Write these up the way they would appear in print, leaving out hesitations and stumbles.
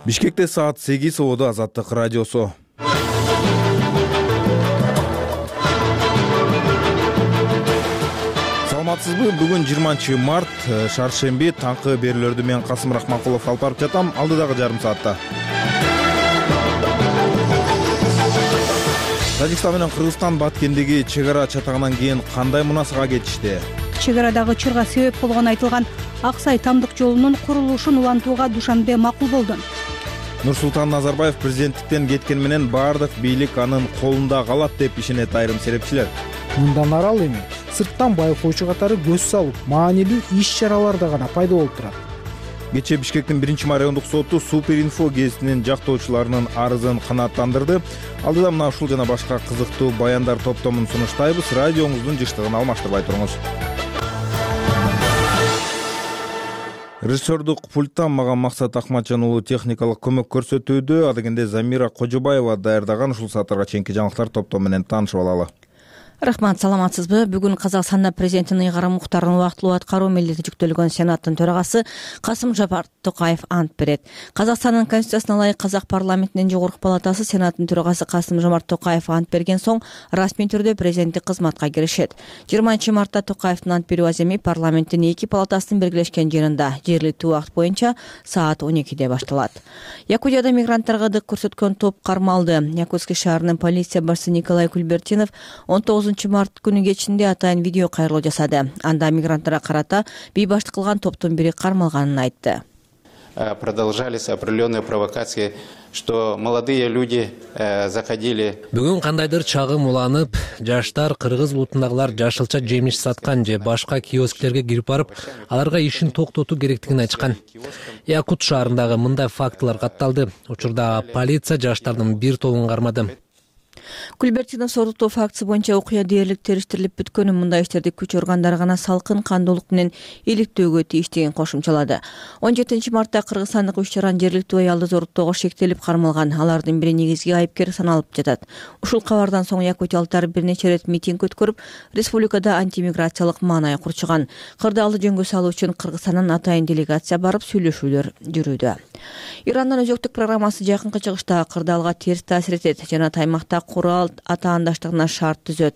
Бишкекте саат 8 ободо Азаттык радиосу. Саламатсызбы? Бүгүн 20 март, шаршемби, таңкы берүүлөрдү мен Касым Рахманкулов алып барып жатам. Алдыдагы жарым саатта. Тажикстан менен Кыргызстан Баткендеги чек ара чатагынан кийин кандай мунасага кетишти? Чек арадагы чырга себеп болгону айтылган Аксай Тамдык жолунун курулушун улантууга Душанбе макул болду. Нурсултан Назарбаев президенттиктен кеткен менен баардык бийлик анын колунда калат деп ишенет айрым серепчилер. Мындан арал эми сырттан байкоочу катары көз салып, маанилүү иш-чараларда гана пайда болуп турат. Кечээ Бишкектин 1 райондук соту Суперинфо гезитинин жактоочуларынын арызын канааттандырды. Алдыда мына ушул жана башка кызыктуу баяндар топтомун сунуштайбыз. Радиоңуздун жыштыгын алмаштырбай туруңуз. Режиссердук пульттан мага Максат Акматжан уулу техникалык көмөк көрсөтүүдө. Адегенде Замира Кожобаева даярдаган ушул сааттарга чейинки жаңылыктар топтому менен таанышып алалы. Рахмат, саламатсызбы? Бүгүн Казакстанда президенттин ыйгарым уктарын убактылуу аткаруу милдети жүктөлгөн Сенаттын төрагасы Касым-Жомарт Токаев ант берет. Казакстандын конституциясына ылайык Казак парламентинин жогорку палатасы Сенаттын төрагасы Касым-Жомарт Токаев ант берген соң расмий түрдө президенттик кызматка киришет. 20 мартта Токаевдин ант берүү аземи парламенттин эки палатасынын белгилешкен жеринде жергиликтүү убакыт боюнча саат 12де башталат. Якутияда мигранттарга дык көрсөткөн топ кармалды. Якутский шаарынын полиция башчысы Николай Кульбертинов 19 март күнү кечинде атайын видео кайрылуу жасады. Анда мигранттарга карата бейбаштык кылган топтун бири кармалганын айтты. Продолжались определенные провокации, что молодые люди заходили. Бүгүн кандайдыр чагым уланып, жаштар кыргыз улутундагылар жашылча жемиш саткан же башка киосктерге кирип барып, аларга ишин токтотуу керектигин айтышкан. Якут шаарындагы мындай фактылар катталды. Учурда полиция жаштардын бир тобун кармады. Кульбертинов сордуктоо фактысы боюнча окуя дээрлик териштирилип бүткөнүн, мындай иштерди күч органдары гана салкын кандуулук менен иликтөөгө тийиш деген кошумчалады. 17 мартта кыргызстандык 3 жаран жергиликтүү аялды зоруктоого шектелип кармалган. Алардын бири негизги айыпкер саналып жатат. Ушул кабардан соң якутиялыктар бир нече рет митинг өткөрүп, республикада антимиграциялык маанай курчуган. Кырдаалды жөнгө салуу үчүн Кыргызстандан атайын делегация барып сүйлөшүүлөр жүрүүдө. Ирандын өзөктүк программасы жакынкы чыгышта кырдаалга терс таасир этет жана аймакта курал атаандаштыгына шарт түзөт.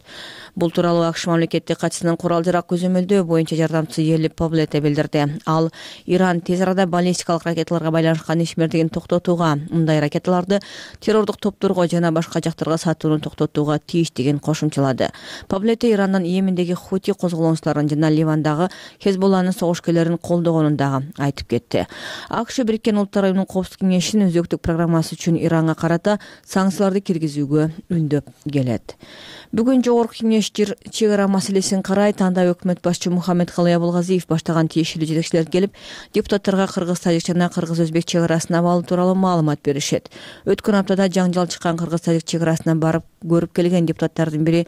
Бул тууралуу АКШ мамлекеттик катчысынын курал-жарак көзөмөлдөө боюнча жардамчысы Ели Павлете билдирди. Ал Иран тез арада баллистикалык ракеталарга байланышкан ишмердигин токтотууга, мындай ракеталарды террордук топторго жана башка жактарга сатууну токтотууга тийиш деген кошумчалады. Павлете Ирандын Йемендеги Хути козголоочуларын жана Ливандагы Хезболланын согуш-күлөрүн колдогонун дагы айтып кетти. АКШ Бириккен Улуттар уюмунун Коопсуздук кеңешинин өзөктүк программасы үчүн Иранга карата санкцияларды киргизүүгө үндөп келет. Бүгүн жогорку кеңеш чек ара маселесин карайт. Анда өкмөт башчы Мухаммед Калый Абылгазиев баштаган тиешелүү жетекчилер келип, депутаттарга кыргыз-тажик жана кыргыз-өзбек чек арасына абалы тууралуу маалымат беришет. Өткөн аптада жаңжал чыккан кыргыз-тажик чек арасына барып көрүп келген депутаттардын бири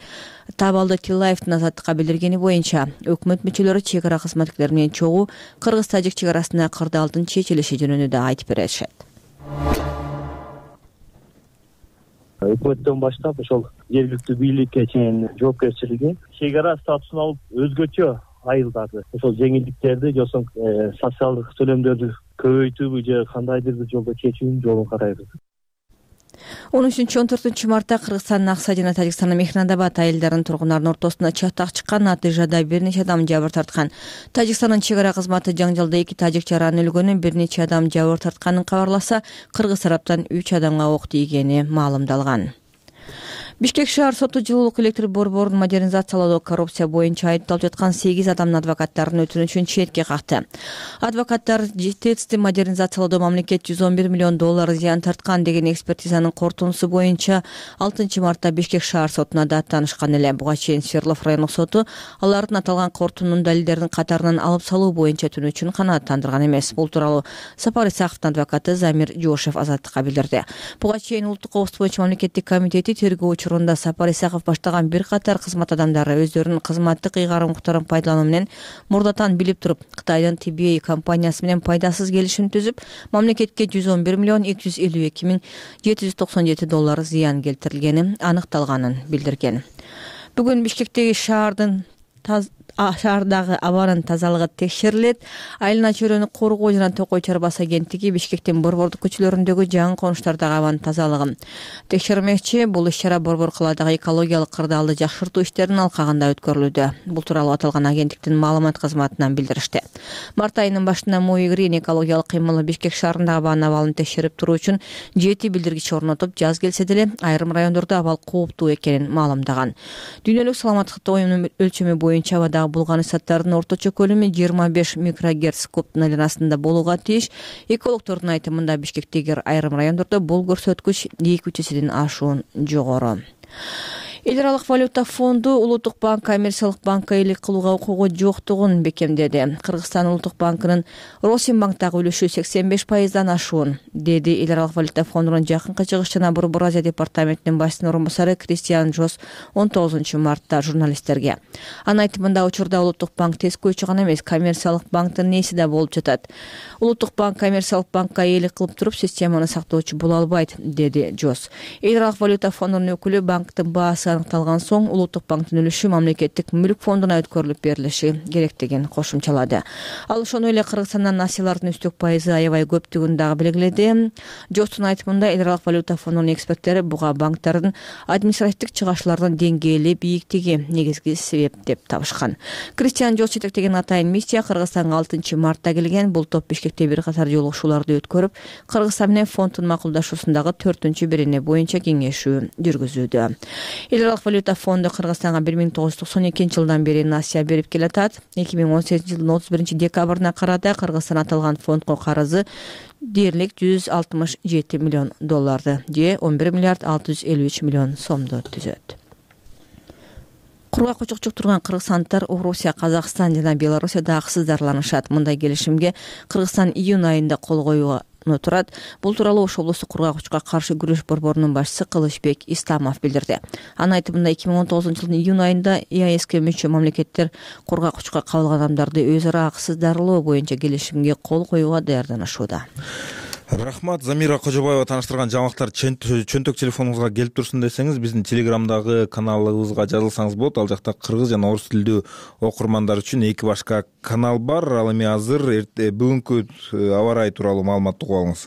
Табалды Тилаевдин Азаттыкка билдиргени боюнча, өкмөт мүчөлөрү чек ара кызматкерлери менен чогуу кыргыз-тажик чек арасына кырдаалдын чечилиши жөнүндө айтып беришет. Өкмөттөн баштап ошол жергиликтүү бийликке чейин жоопкерчилиги чек ара статусун алып өзгөчө айылдарды, ошол жеңилдиктерди же социалдык төлөмдөрдү көбөйтүүбү же кандайдыр бир жолдо чечүүнүн жолун карайбыз. 13-14 мартта Кыргызстандын Аксай жана Тажикстандын Мехнадабад айылдарынын тургундарынын ортосуна чатак чыккан. Натыйжада бир нече адам жабыр тарткан. Тажикстандын чек ара кызматы жаңжалда 2 тажик жаранын өлгөнүн, бир нече адам жабыр тартканын кабарласа, кыргыз тараптан 3 адамга ок тийгени маалымдалган. Бишкек шаар соту жылуулук электр борборун модернизациялоодо коррупция боюнча айыпталып жаткан 8 адамдын адвокаттарынын өтүнүчүн четке какты. Адвокаттар ТЭЦти модернизациялоодо мамлекет $111 миллион зыян тарткан деген экспертизанын корутундусу боюнча 6 мартта Бишкек шаар сотуна даттанышкан эле. Буга чейин Свердлов райондук соту алардын аталган корутундун далилдеринин катарынан алып салуу боюнча өтүнүчүн канааттандырган эмес. Бул тууралуу Сапар Исаковдун адвокаты Замир Жошев Азаттыкка билдирди. Буга чейин Улуттук коопсуздук боюнча мамлекеттик комитети тергөө Сапар Исаков баштаган бир катар кызмат адамдары өздөрүнүн кызматтык ыйгарым укуктарын пайдалануу менен мурдатан билип туруп Кытайдын TBA компаниясы менен пайдасыз келишим түзүп, мамлекетке $111 миллион $252,797 зыян келтирилгени аныкталганын билдирген. Бүгүн Бишкектеги шаардын шаардагы абанын тазалыгы текшерилет. Айлана чөйрөнү коргоо жана Токой чарбасы агенттиги Бишкектин Борбордук көчөлөрүндөгү жаңы конуштардагы абанын тазалыгын текшермекчи. Бул иш-чара Борбор калаадагы экологиялык кырдаалды жакшыртуу иштеринин алкагында өткөрүлүүдө. Бул тууралуу аталган агенттиктин маалымат кызматынан билдиришти. Март айынын башында Моигрин экологиялык кыймылы Бишкек шаарындагы абанын абалын текшерип туруу үчүн 7 билдиргич орнотуп, жаз келсе деле айрым райондордо абал кооптуу экенин маалымдаган. Дүйнөлүк саламаттык уюмунун өлчөмү боюнча абадагы булган ысаттардын орточо көлөмү 25 микрогерц кубтун айланасында болууга тийиш. Экологдордун айтымында Бишкектеги айрым райондордо бул көрсөткүч 2 эседен ашуун жогору. Эл аралык валюта фонду Улуттук банк коммерциялык банкка элек кылууга укугу жоктугун бекемдеди. Кыргызстан Улуттук банкынын Росимбанктагы үлүшү 85%дан ашуун, деди Эл аралык валюта фондунун жакынкы чыгыш жана Борбор Азия департаментинин башчысынын орун басары Кристиан Жос 19-мартта журналисттерге. Анын айтымында учурда Улуттук банк тескөөчү гана эмес, коммерциялык банктын ээси да болуп жатат. Улуттук банк коммерциялык банкка элек кылып туруп системаны сактоочу боло албайт, деди Жос. Эл аралык валюта фондунун өкүлү банктын баасы аныкталган соң Улуттук банктын үлүшү мамлекеттик мүлк фондуна өткөрүлүп берилиши керектигин кошумчалады. Ал ошону эле Кыргызстандан насыялардын үстүк пайызы аябай көптүгүн дагы белгиледи. Жостун айтымында Эл аралык валюта фондунун эксперттери буга банктардын административдик чыгачтарынын деңгээли бийиктиги негизги себеп деп табышкан. Кристиан Жос жетектеген атайын миссия Кыргызстанга 6-мартта келген. Бул топ Бишкекте бир катар жолугушууларды өткөрүп, Кыргызстан менен фонддун макулдашуусундагы 4-берене боюнча кеңешүү жүргүзүүдө. Эл аралык валюта фонду Кыргызстанга 1992-жылдан бери насыя берип келатат. 2018-жылдын 31-декабрына карата Кыргызстан аталган фондго карызы дээрлик $167 миллион же 11 миллиард 653 миллион сомду түзөт. Кургак учукчук турган кыргызстандыктар Орусия, Казакстан жана Белоруссияда акысыз дарыланышат. Мындай келишимге Кыргызстан июнь айында кол коюуга турат. Бул тууралуу Ош облустук кургак учукка каршы күрөш борборунун башчысы Кылычбек Исламов билдирди. Анын айтымында 2019-жылдын июнь айында ЕАЭСке мүчө мамлекеттер кургак учукка кабылган адамдарды өз ара акысыз дарылоо боюнча келишимге кол коюуга даярданышууда. Рахмат. Замира Кожобаева тааныштырган жаңылыктар чөнтөк телефонуңузга келип турсун десеңиз, биздин Телеграмдагы каналыбызга жазылсаңыз болот. Ал жакта кыргыз жана орус тилдүү окурмандар үчүн 2 башка канал бар. Ал эми азыр бүгүнкү аба ырайы тууралуу маалыматты угуп алыңыз.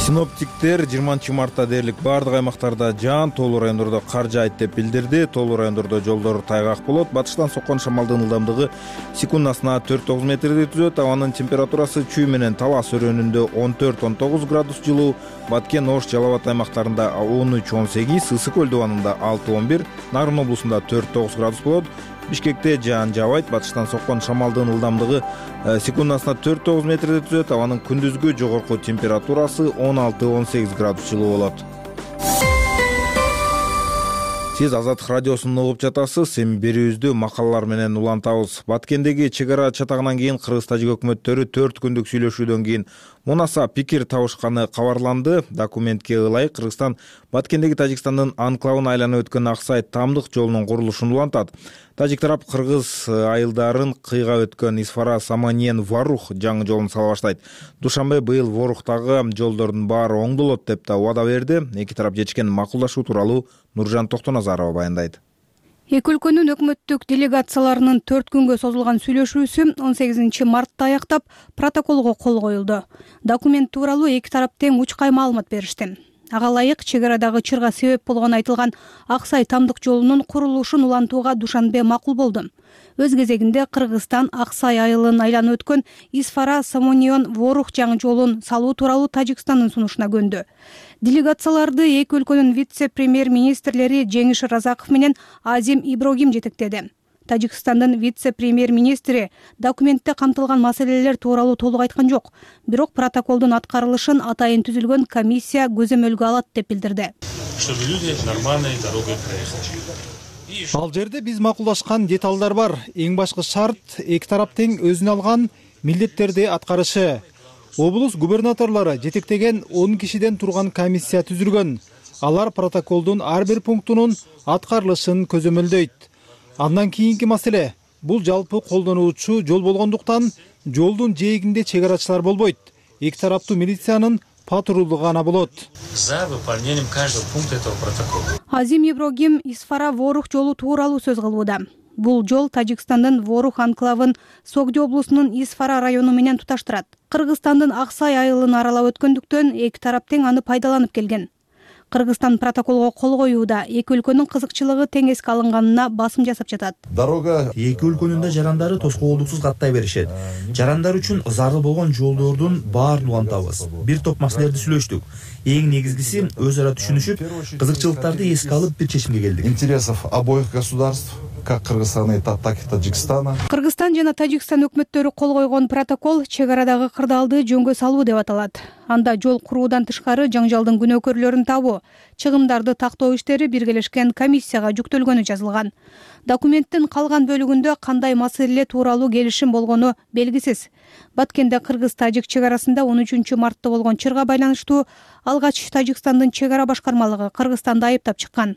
Синоптиктер 20-мартта дээрлик баардык аймактарда жаан, тоолуу райондордо кар жаайт деп билдирди. Тоолуу райондордо жолдор тайгак болот. Батыштан соккон шамалдын ылдамдыгы секундасына 4-9 метрди түзөт. Абанын температурасы Чүй менен Талас өрөөнүндө 14-19 градус жылуу, Баткен, Ош, Жалал Абад аймактарында 13-18, Ысык көл дубанында 6-11, Нарын облусунда 4-9 градус болот. Бишкекте жаан жаабайт. Батыштан соккон шамалдын ылдамдыгы секундасына 4-9 метрди түзөт. Абанын күндүзгү жогорку температурасы 16-18 градус жылуу болот. Сиз Азаттык радиосун угуп жатасыз. Эми берүүбүздү макалалар менен улантабыз. Баткендеги чек ара чатагынан кийин кыргыз тажик өкмөттөрү 4 күндүк сүйлөшүүдөн кийин мунаса пикир табышканы кабарланды. Документке ылайык Кыргызстан Баткендеги Тажикстандын анклавын айланып өткөн Аксай Тамдык жолунун курулушун улантат. Тажик тарап кыргыз айылдарын кыйга өткөн Исфара Саманьен Ворух жаңы жолун сала баштайт. Душанбе быйыл Ворухтагы жолдордун баары оңдолот деп да убада берди. Эки тарап жетишкен макулдашуу тууралуу Нуржан Токтоназарова баяндайт. Эки өлкөнүн өкмөттүк делегацияларынын 4 күнгө созулган сүйлөшүүсү 18-мартта аяктап, протоколго кол коюлду. Документ тууралуу эки тарап тең учкай маалымат беришти. Ага ылайык чек арадагы чырга себеп болгон айтылган Аксай Тамдык жолунун курулушун улантууга Душанбе макул болду. Өз кезегинде Кыргызстан Аксай айылын айланып өткөн Исфара Саманьен Ворух жаңы жолун салуу тууралуу Тажикстандын сунушуна көндү. Делегацияларды эки өлкөнүн вице-премьер-министрлери Жеңиш Разаков менен Азим Иброгим жетектеди. Тажикстандын вице-премьер-министри документте камтылган маселелер тууралуу толук айткан жок, бирок протоколдун аткарылышын атайын түзүлгөн комиссия көзөмөлгө алат деп билдирди. Чтобы люди нормальной дорогой проехали. Ал жерде биз макулдашкан деталдар бар. Эң башкы шарт эки тарап тең өзүнө алган милдеттерди аткарышы. Облус губернаторлору жетектеген 10 кишиден турган комиссия түзүлгөн. Алар протоколдун ар бир пунктунун аткарылышын көзөмөлдөйт. Андан кийинки маселе бул жалпы колдонуучу жол болгондуктан жолдун жээгинде чек арачылар болбойт. Эки тараптуу милициянын патрулдугу гана болот. За выполнением каждого пункта этого протокола. Азим Иброгим Исфара Ворух жолу тууралуу сөз кылууда. Бул жол Тажикстандын Ворух анклавын Согдо облусунун Исфара району менен туташтырат. Кыргызстандын Аксай айылын аралап өткөндүктөн эки тарап тең аны пайдаланып келген. Кыргызстан протоколго кол коюуда эки өлкөнүн кызыкчылыгы тең эске алынганына басым жасап жатат. Дорога эки өлкөнүн да жарандары тоскоолдуксуз каттай беришет. Жарандар үчүн зарыл болгон жолдордун баарын улантабыз. Бир топ маселелерди сүйлөштүк. Эң негизгиси өз ара түшүнүшүп, кызыкчылыктарды эске алып бир чечимге келдик. Интересов обоих государств, как Кыргызстана, так и Таджикстана. Кыргызстан жана Тажикстан өкмөттөрү кол койгон протокол чек арадагы кырдаалды жөнгө салуу деп аталат. Анда жол куруудан тышкары жаңжалдын күнөөкөрлөрүн табуу, чыгымдарды тактоо иштери биргелешкен комиссияга жүктөлгөнү жазылган. Документтин калган бөлүгүндө кандай маселе тууралуу келишим болгону белгисиз. Баткенде кыргыз-тажик чек арасында 13 мартта болгон чырга байланыштуу алгач Тажикстандын чек ара башкармалыгы Кыргызстанды айыптап чыккан.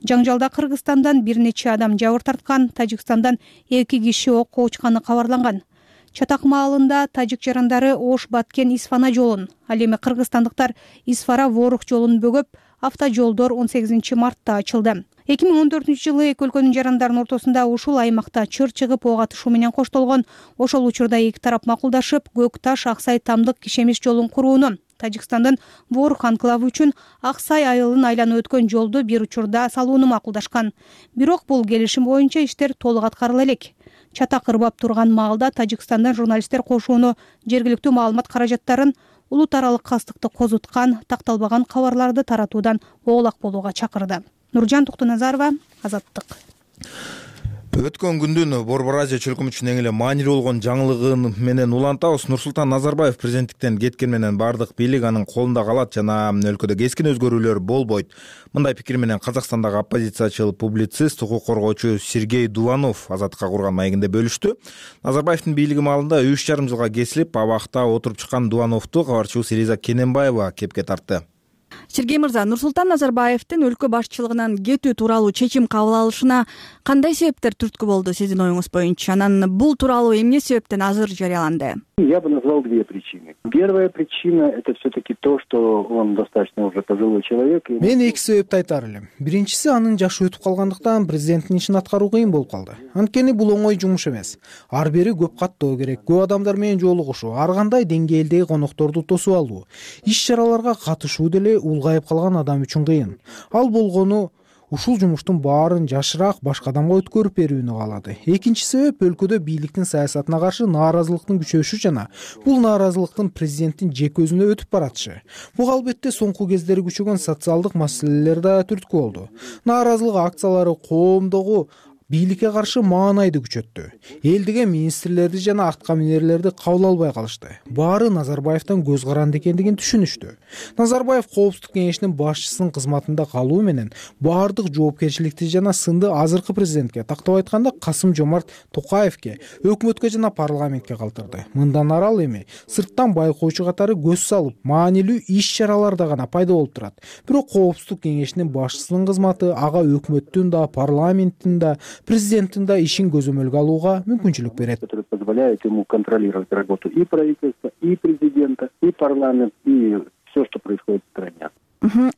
Жаңжалда Кыргызстандан бир нече адам жабыр тарткан, Тажикстандан 2 киши окко учканы кабарланган. Чатак маалында тажик жарандары Ош-Баткен Исфана жолун, ал эми кыргызстандыктар Исфара-Ворух жолун бөгөп, автожолдор 18 мартта ачылды. 2014-жылы эки өлкөнүн жарандарынын ортосунда ушул аймакта чыр чыгып ок атышуу менен коштолгон. Ошол учурда эки тарап макулдашып, Көк Таш Аксай тамдык кишемиш жолун курууну, Тажикстандын Ворух анклавы үчүн Аксай айылын айланып өткөн жолду бир учурда салууну макулдашкан. Бирок бул келишим боюнча иштер толук аткарыла элек. Чатак ырбап турган маалда Тажикстандан журналисттер кошууну, жергиликтүү маалымат каражаттарын, улут аралык кастыкты козуткан, такталбаган кабарларды таратуудан оолак болууга чакырды. Нуржан Токтоназарова, Азаттык. Өткөн күндүн Борбор Азия чөлкөмү үчүн эң эле маанилүү болгон жаңылыгын менен улантабыз. Нурсултан Назарбаев президенттиктен кеткен менен бардык бийлик анын колунда калат жана өлкөдө кескин өзгөрүүлөр болбойт. Мындай пикир менен Казакстандагы оппозициячыл публицист, укук коргоочу Сергей Дуланов Азаттыкка курган маегинде бөлүштү. Назарбаевдин бийлиги маалында 3,5 жылга кесилип, абакта отуруп чыккан Дулановду кабарчыбыз Элиза Кененбаева кепке тартты. Сергей мырза, Нурсултан Назарбаевдин өлкө башчылыгынан кетүү тууралуу чечим кабыл алышына кандай себептер түрткү болду сиздин оюңуз боюнча? Анан бул тууралуу эмне себептен азыр жарыяланды? Я бы назвал две причины. Первая причина — это все-таки то, что он достаточно уже пожилой человек. Мен эки себепти айтар элем. Биринчиси, анын жашы өтүп калгандыктан президенттин ишин аткаруу кыйын болуп калды. Анткени бул оңой жумуш эмес. Ар бери көп каттоо керек, көп адамдар менен жолугушуу, ар кандай деңгээлдеги конокторду тосуп алуу, иш-чараларга катышуу деле улгайып калган адам үчүн кыйын. Ал болгону ушул жумуштун баарын жашыраак башка адамга өткөрүп берүүнү каалады. Экинчи себеп, өлкөдө бийликтин саясатына каршы нааразылыктын күчөшүшү жана бул нааразылыктын президенттин жеке өзүнө өтүп баратышы. Бул албетте соңку кездери күчөгөн социалдык маселелер да түрткү болду. Нааразылык акциялары коомдогу бийликке каршы маанайды күчөттү. Элдиге министрлерди жана атка минерлерди кабыл албай калышты. Баары Назарбаевден көз каранды экендигин түшүнүштү. Назарбаев Коопсуздук кеңешинин башчысынын кызматында калуу менен баардык жоопкерчиликти жана сынды азыркы президентке, тактап айтканда Касым-Жомарт Токаевке, өкмөткө жана парламентке калтырды. Мындан ары ал эми сырттан байкоочу катары көз салып, маанилүү иш-чараларда гана пайда болуп турат. Бирок Коопсуздук кеңешинин башчысынын кызматы ага өкмөттүн да, парламенттин да, президенттин да ишин көзөмөлгө алууга мүмкүнчүлүк берет. Которые позволяют ему контролировать работу и правительства, и президента, и парламент, и все, что происходит в стране.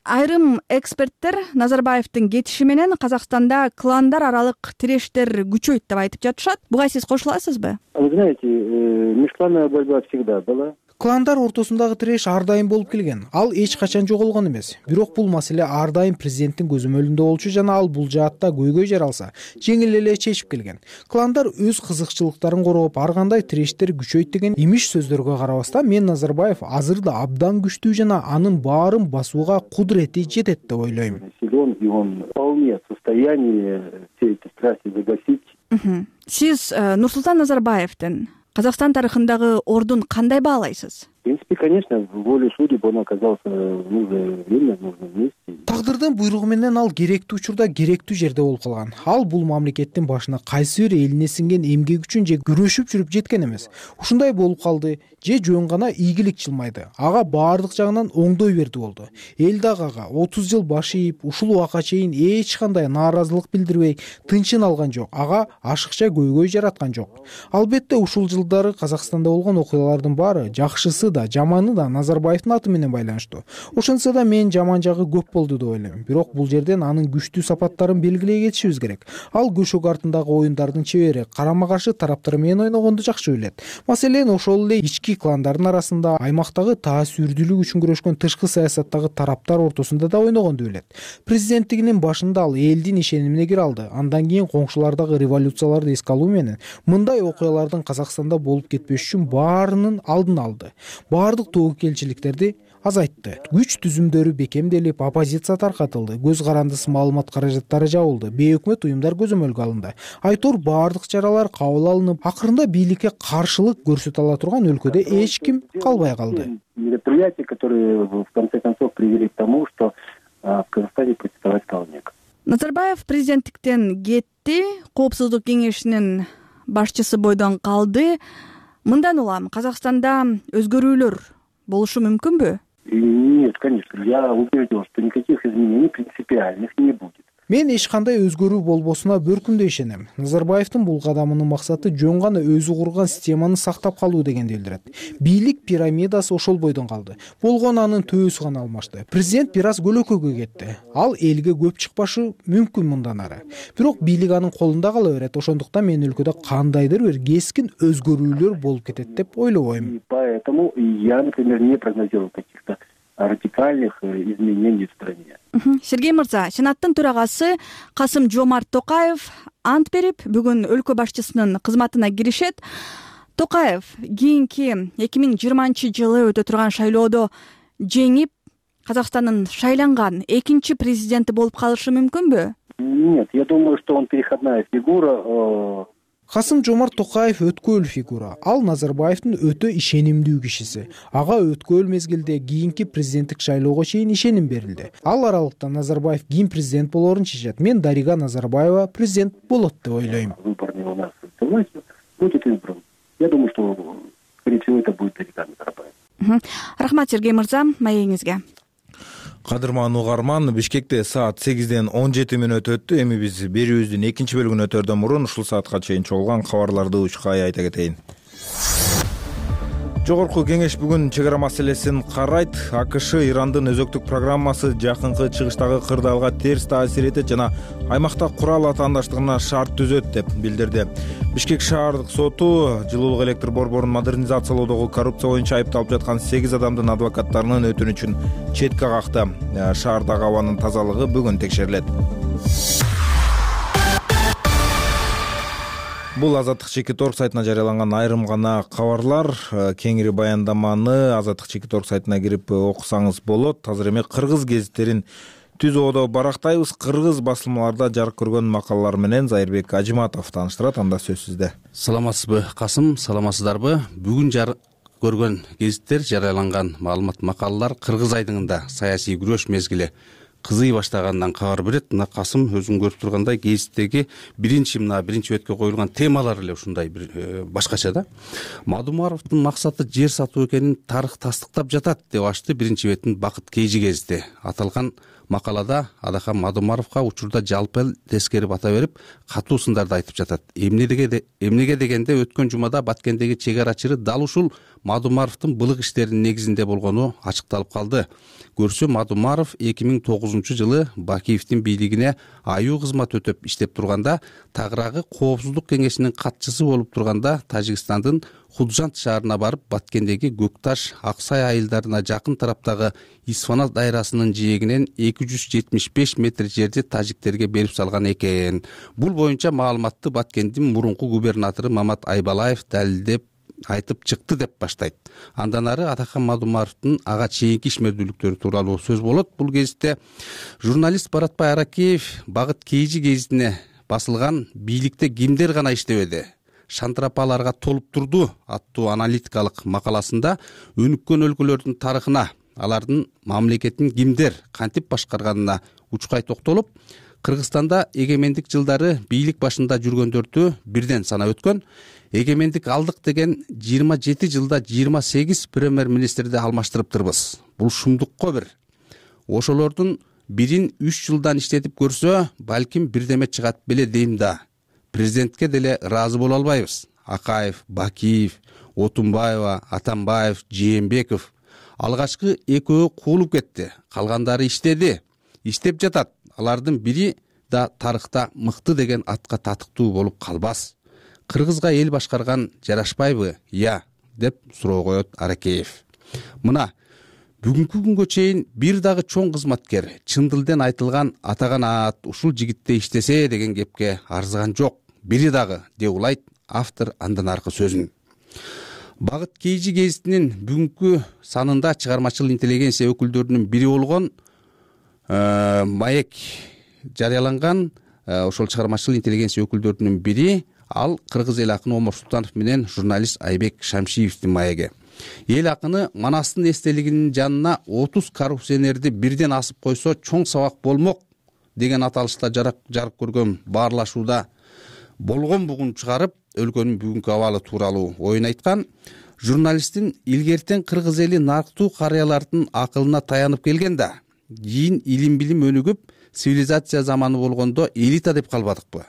Айрым эксперттер Назарбаевдин кетиши менен Казакстанда кландар аралык тирештер күчөйт деп айтып жатышат. Буга сиз кошула аласызбы? Вы знаете, межклановая борьба всегда была. Кландар ортосундагы тиреш ар дайым болуп келген. Ал эч качан жоголгон эмес. Бирок бул маселе ар дайым президенттин көзөмөлүндө болчу жана ал бул жаатта көйгөй жаралса, жеңил эле чечип келген. Кландар өз кызыкчылыктарын коргоп, ар кандай тирештер күчөйт деген имиш сөздөргө карабастан, мен Назарбаев азыр да абдан күчтүү жана анын баарын басууга кудурети жетет деп ойлойм. Силен, и он вполне в состоянии все эти страсти загасить. Сиз Нурсултан Назарбаевдин Казакстан тарыхындагы ордун кандай баалайсыз? В принципе, конечно, волю судеб он оказался в нужное время, в нужном месте. Тагдырдын буйругу менен ал керектүү учурда керектүү жерде болуп калган. Ал бул мамлекеттин башына кайсы бир элине сиңген эмгек үчүн же күрөшүп жүрүп жеткен эмес. Ушундай болуп калды, же жөн гана ийгилик чылмайды. Ага баардык жагынан оңдой берди болду. Эл дагы ага 30 жыл баш ийип, ушул убакка чейин эч кандай нааразылык билдирбей, тынчын алган жок. Ага ашыкча көйгөй жараткан жок. Албетте ушул жылдары Казакстанда болгон окуялардын баары жакшысы жакшысы да жаманы да Назарбаевдин аты менен байланыштуу. Ошентсе да мен жаман жагы көп болду деп ойлойм. Бирок бул жерден анын күчтүү сапаттарын белгилей кетишибиз керек. Ал көшөк артындагы оюндардын чебери, карама каршы тараптар менен ойногонду жакшы билет. Маселен, ошол эле ички кландардын арасында, аймактагы таасирдүүлүк үчүн күрөшкөн тышкы саясаттагы тараптар ортосунда да ойногонду билет. Президенттигинин башында ал элдин ишенимине кире алды. Андан кийин коңшулардагы революцияларды эске алуу менен мындай окуялардын Казакстанда болуп кетпеш үчүн баарынын алдын алды. Баардык тобокелчиликтерди азайтты. Күч түзүмдөрү бекемделип, оппозиция таркатылды, көз карандысы маалымат каражаттары жабылды, бейөкмөт уюмдар көзөмөлгө алынды. Айтор баардык чаралар кабыл алынып, акырында бийликке каршылык көрсөтө ала турган өлкөдө эч ким калбай калды. Мероприятия, которые в конце концов привели к тому, что в Казахстане протестовать стал некому. Назарбаев президенттиктен кетти, Коопсуздук кеңешинин башчысы бойдон калды. Мындан улам Казакстанда өзгөрүүлөр болушу мүмкүнбү? Нет, конечно. Я убежден, что никаких изменений принципиальных не будет. Мен эч кандай өзгөрүү болбосуна бөркүндөй ишенем. Назарбаевдин бул кадамынын максаты жөн гана өзү курган системаны сактап калуу дегенди билдирет. Бийлик пирамидасы ошол бойдон калды. Болгону анын төбөсү гана алмашты. Президент бир аз көлөкөгө кетти. Ал элге көп чыкпашы мүмкүн мындан ары. Бирок бийлик анын колунда кала берет. Ошондуктан мен өлкөдө кандайдыр бир кескин өзгөрүүлөр болуп кетет деп ойлобойм. Поэтому я, например, не прогнозирую каких-то радикальных изменений в стране. Сергей мырза, Сенаттын төрагасы Касым-Жомарт Токаев ант берип, бүгүн өлкө башчысынын кызматына киришет. Токаев кийинки 2020-жылы өтө турган шайлоодо жеңип, Казакстандын шайланган экинчи президенти болуп калышы мүмкүнбү? Нет, я думаю, что он переходная фигура. Касым-Жомарт Токаев өткөөл фигура. Ал Назарбаевдин өтө ишенимдүү кишиси. Ага өткөөл мезгилде кийинки президенттик шайлоого чейин ишеним берилди. Ал аралыкта Назарбаев ким президент болоорун чечет. Мен Дарига Назарбаева президент болот деп ойлойм. Выборный у нас будет избран. Я думаю, что, скорее всего, это будет Дарига Назарбаева. Рахмат, Сергей мырза, маегиңизге. Кадырман угарман, Бишкекте саат 8-ден 17 мүнөт өттү. Эми биз берүүбүздүн экинчи бөлүгүн өтөрдөн мурун ушул саатка чейин чогулган кабарларды учкай айта кетейин. Жогорку кеңеш бүгүн чек ара маселесин карайт. АКШ Ирандын өзөктүк программасы жакынкы чыгыштагы кырдаалга терс таасир этет жана аймакта курал атаандаштыгына шарт түзөт деп билдирди. Бишкек шаардык соту жылуулук электр борборун модернизациялоодогу коррупция боюнча айыпталып жаткан 8 адамдын адвокаттарынын өтүнүчүн четке какты. Шаардагы абанын тазалыгы бүгүн текшерилет. Бул Азаттык Чекит.орг сайтына жарыяланган айрым гана кабарлар. Кеңири баяндаманы Азаттык Чекит.орг сайтына кирип окусаңыз болот. Азыр эми кыргыз гезиттерин түз оодо барактайбыз. Кыргыз басылмаларда жарык көргөн макалалар менен Зайырбек Ажиматов тааныштырат. Анда сөз сизде. Саламатсызбы, Касым, саламатсыздарбы? Бүгүн жарык көргөн гезиттер жарыяланган маалымат макалалар кыргыз айдыңында саясий күрөш мезгили кызый баштагандан кабар берет. Мына Касым өзүң көрүп тургандай гезиттеги биринчи бетке коюлган темалар эле ушундай бир башкача да. Мадумаровдун максаты жер сатуу экенин тарых тастыктап жатат деп ачты биринчи беттин Бакыт Кейжи гезити. Аталган макалада Адахан Мадумаровго учурда жалпы тескери бата берип, катуу сындарды айтып жатат. Эмнеге дегенде өткөн жумада Баткендеги чек арачылары дал ушул Мадумаровдун былык иштеринин негизинде болгону ачыкталып калды. Көрсө, Мадумаров 2009-жылы Бакиевдин бийлигине аюу кызмат өтөп иштеп турганда, тагыраагы Коопсуздук кеңешинин катчысы болуп турганда, Тажикстандын Худжант шаарына барып, Баткендеги Көкташ, Аксай айылдарына жакын тараптагы Исфана дайрасынын жээгинен 275 метр жерди тажиктерге берип салган экен. Бул боюнча маалыматты Баткендин мурунку губернатору Мамат Айбалаев далилдеп айтып чыкты деп баштайт. Андан ары Атахан Мадумаровдун ага чейинки ишмердүүлүктөрү тууралуу сөз болот. Бул гезитте журналист Баратбай Аракеев Бакыт Кейжи гезитине басылган «Бийликте кимдер гана иштебеди? Шантырапаларга толуп турду» аттуу аналитикалык макаласында өнүккөн өлкөлөрдүн тарыхына, алардын мамлекетин кимдер кантип башкарганына учкай токтолуп, Кыргызстанда эгемендик жылдары бийлик башында жүргөндөрдү бирден санап өткөн. Эгемендик алдык деген 27 жылда 28 премьер-министрди алмаштырыптырбыз. Бул шумдукко бир. Ошолордун бирин 3 жылдан иштетип көрсө, балким бирдеме чыгат беле дейм да. Президентке деле ыраазы боло албайбыз. Акаев, Бакиев, Отунбаева, Атамбаев, Жээнбеков. Алгачкы экөө куулуп кетти, калгандары иштеп жатат. Алардын бири да тарыхта мыкты деген атка татыктуу болуп калбас. Кыргызга эл башкарган жарашпайбы? Я, деп суроо коет Аракеев. Мына бүгүнкү күнгө чейин бир дагы чоң кызматкер чын дилден айтылган атаган аат ушул жигитте иштесе деген кепке арзыган жок. Бири дагы, деп улайт автор андан аркы сөзүн. Багыт Кейжи гезитинин бүгүнкү санында чыгармачыл интеллигенция өкүлдөрүнүн бири болгон Маек жарыяланган. Ошол чыгармачыл интеллигенция өкүлдөрүнүн бири ал кыргыз эл акыны Омар Султанов менен журналист Айбек Шамшиевдин маеги. Эл акыны Манастын эстелигинин жанына 30 коррупционерди бирден асып койсо чоң сабак болмок деген аталышта жарык көргөн баарлашууда болгон бугун чыгарып, өлкөнүн бүгүнкү абалы тууралуу оюн айткан. Журналисттин илгертен кыргыз эли нарктуу карыялардын акылына таянып келген да, кийин илим билим өнүгүп, цивилизация заманы болгондо элита деп калбадыкпы?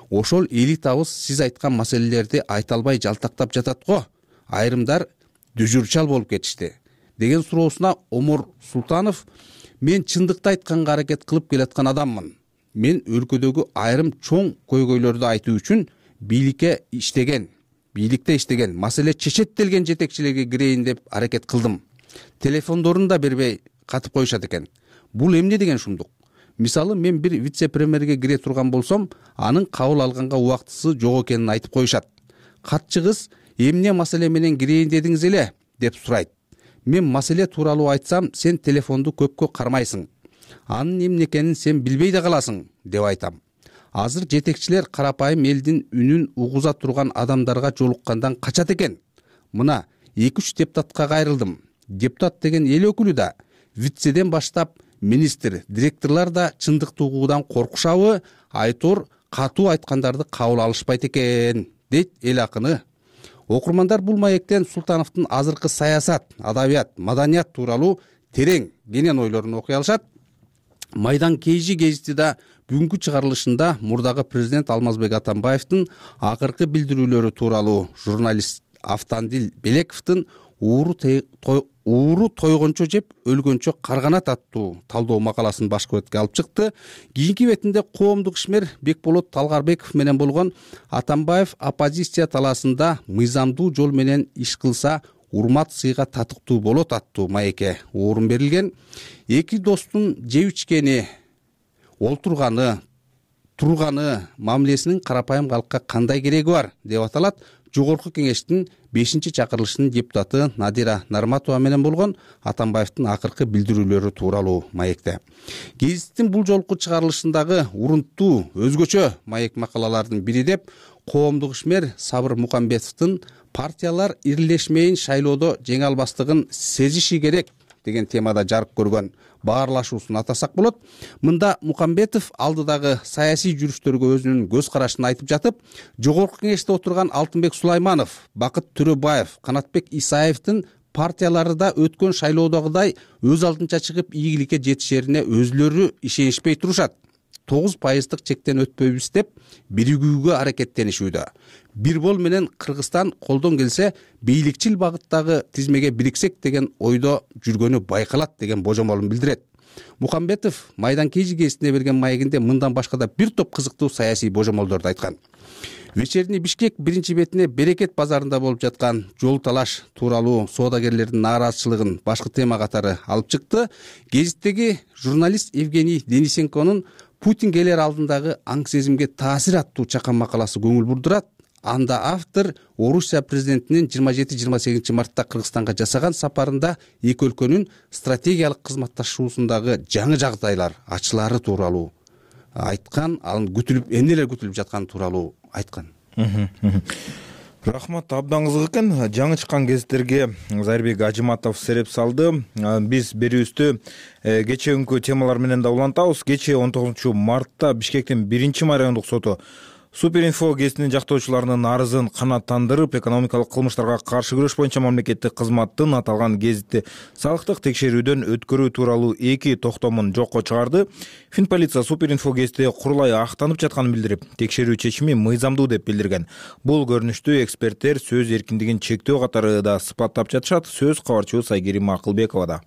Ошол элитабыз сиз айткан маселелерди айта албай жалтактап жатат го. Айрымдар дүжүрчал болуп кетишти деген суроосуна Омар Султанов: мен чындыкты айтканга аракет кылып келаткан адаммын. Мен өлкөдөгү айрым чоң көйгөйлөрдү айтуу үчүн бийликте иштеген, маселе чечеттелген жетекчилерге кирейин деп аракет кылдым. Телефондорун да бербей катып коюшат экен. Бул эмне деген шумдук? Мисалы, мен бир вице-премьерге кире турган болсом, анын кабыл алганга убактысы жок экенин айтып коюшат. Катчы кыз: эмне маселе менен кирейин дедиңиз эле, деп сурайт. Мен маселе тууралуу айтсам, сен телефонду көпкө кармайсың. Анын эмне экенин сен билбей да каласың, деп айтам. Азыр жетекчилер карапайым элдин үнүн угуза турган адамдарга жолуккандан качат экен. Мына 2-3 депутатка кайрылдым. Депутат деген эл өкүлү да, вицеден баштап министр, директорлор да чындыкты угуудан коркушабы, айтор катуу айткандарды кабыл алышпайт экен, дейт эл акыны. Окурмандар бул маектен Султановдун азыркы саясат, адабият, маданият тууралуу терең, кенен ойлорун окуй алышат. Майдан Кейжи гезити да бүгүнкү чыгарылышында мурдагы президент Алмазбек Атамбаевдин акыркы билдирүүлөрү тууралуу журналист Автандил Белековдун ууру тойгончо жеп өлгөнчө карганат аттуу талдоо макаласын башкы бетке алып чыкты. Кийинки бетинде коомдук ишмер Бекболот Талгарбеков менен болгон Атамбаев оппозиция талаасында мыйзамдуу жол менен иш кылса урмат сыйга татыктуу болот аттуу маекке орун берилген. Эки достун жеп ичкени, олтурганы, турганы мамилесинин карапайым калкка кандай кереги бар деп аталат. Жогорку кеңештин 5-чакырылышынын депутаты Надира Нарматова менен болгон Атамбаевдин акыркы билдирүүлөрү тууралуу маекте. Гезиттин бул жолку чыгарылышындагы урунттуу, өзгөчө маек макалалардын бири деп коомдук ишмер Сабыр Мукамбетовдун партиялар ирилешмейин шайлоодо жеңе албастыгын сезиши керек деген темада жарык көргөн баарлашуусун атасак болот. Мында Мукамбетов алдыдагы саясий жүрүштөргө өзүнүн көз карашын айтып жатып, жогорку кеңеште отурган Алтынбек Сулайманов, Бакыт Төрөбаев, Канатбек Исаевдин партиялары да өткөн шайлоодогудай өз алдынча чыгып ийгиликке жетишерине өзүлөрү ишенишпей турушат. 9% чектен өтпөйбүз деп биригүүгө аракеттенишүүдө. Бир бол менен Кыргызстан колдон келсе бийликчил багыттагы тизмеге бириксек деген ойдо жүргөнү байкалат деген божомолун билдирет. Мукамбетов Майдан Кейжи гезитине берген маегинде мындан башка да бир топ кызыктуу саясий божомолдорду айткан. Вечерний Бишкек биринчи бетине Берекет базарында болуп жаткан жол талаш тууралуу соодагерлердин нааразычылыгын башкы тема катары алып чыкты. Гезиттеги журналист Евгений Денисенконун Путин келер алдындагы аң сезимге таасир аттуу чакан макаласы көңүл бурдурат. Анда автор Орусия президентинин 27-28 мартта Кыргызстанга жасаган сапарында эки өлкөнүн стратегиялык кызматташуусундагы жаңы жагдайлар ачылары тууралуу айткан, анын эмнелер күтүлүп жатканы тууралуу айткан. Рахмат, абдан кызык экен. Жаңы чыккан гезиттерге Зайырбек Ажыматов сереп салды. Биз берүүбүздү кечээ күнкү темалар менен да улантабыз. Кечээ 19 мартта Бишкектин 1-майрандык соту Суперинфо гезитинин жактоочуларынын арызын канааттандырып, экономикалык кылмыштарга каршы күрөш боюнча мамлекеттик кызматтын аталган гезитти салыктык текшерүүдөн өткөрүү тууралуу 2 токтомун жокко чыгарды. Финполиция Суперинфо гезити курулай актанып жатканын билдирип, текшерүү чечими мыйзамдуу деп билдирген. Бул көрүнүштү эксперттер сөз эркиндигин чектөө катары да сыпаттап жатышат. Сөз кабарчыбыз Айгерим Акылбековада.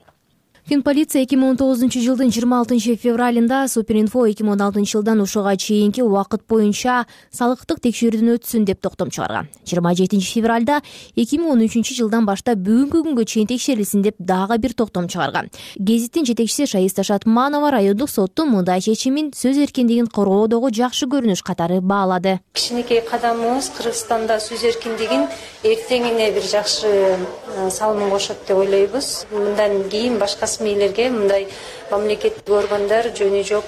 Финполиция 2019 жылдын 26 февралында Суперинфо 2016 жылдан ушуга чейинки убакыт боюнча салыктык текшерүүдөн өтсүн деп токтом чыгарган. 27 февралда 2013 жылдан баштап бүгүнкү күнгө чейин текшерилсин деп дагы бир токтом чыгарган. Гезиттин жетекчиси Шаиста Шатманова райондук соттун мындай чечимин сөз эркиндигин коргоодогу жакшы көрүнүш катары баалады. Кичинекей кадамыбыз Кыргызстанда сөз эркиндигин эртеңине бир жакшы салымын кошот деп ойлойбуз. Мындан кийин башка мээлерге мындай мамлекеттик органдар жөнү жок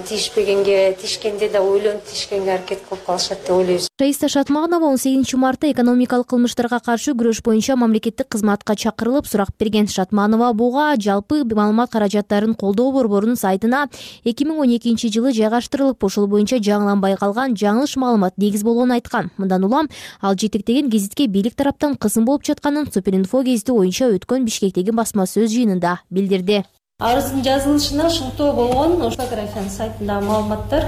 тиешпегенге, тиешкенде да ойлонуп тиешкенге аракет кылып калышат деп ойлойбуз. Шаиста Шатманова 18 мартта экономикалык кылмыштарга каршы күрөш боюнча мамлекеттик кызматка чакырылып сурак берген. Шатманова буга жалпы маалымат каражаттарын колдоо борборунун сайтына 2012 жылы жайгаштырылып, ошол боюнча жаңыланбай калган жаңылыш маалымат негиз болгонун айткан. Мындан улам ал жетектеген гезитке бийлик тараптан кысым болуп жатканын Суперинфо гезити боюнча өткөн Бишкектеги басма сөз жыйынында билдирди. Арыздын жазылышына шылтоо болгон фотографиянын сайтындагы маалыматтар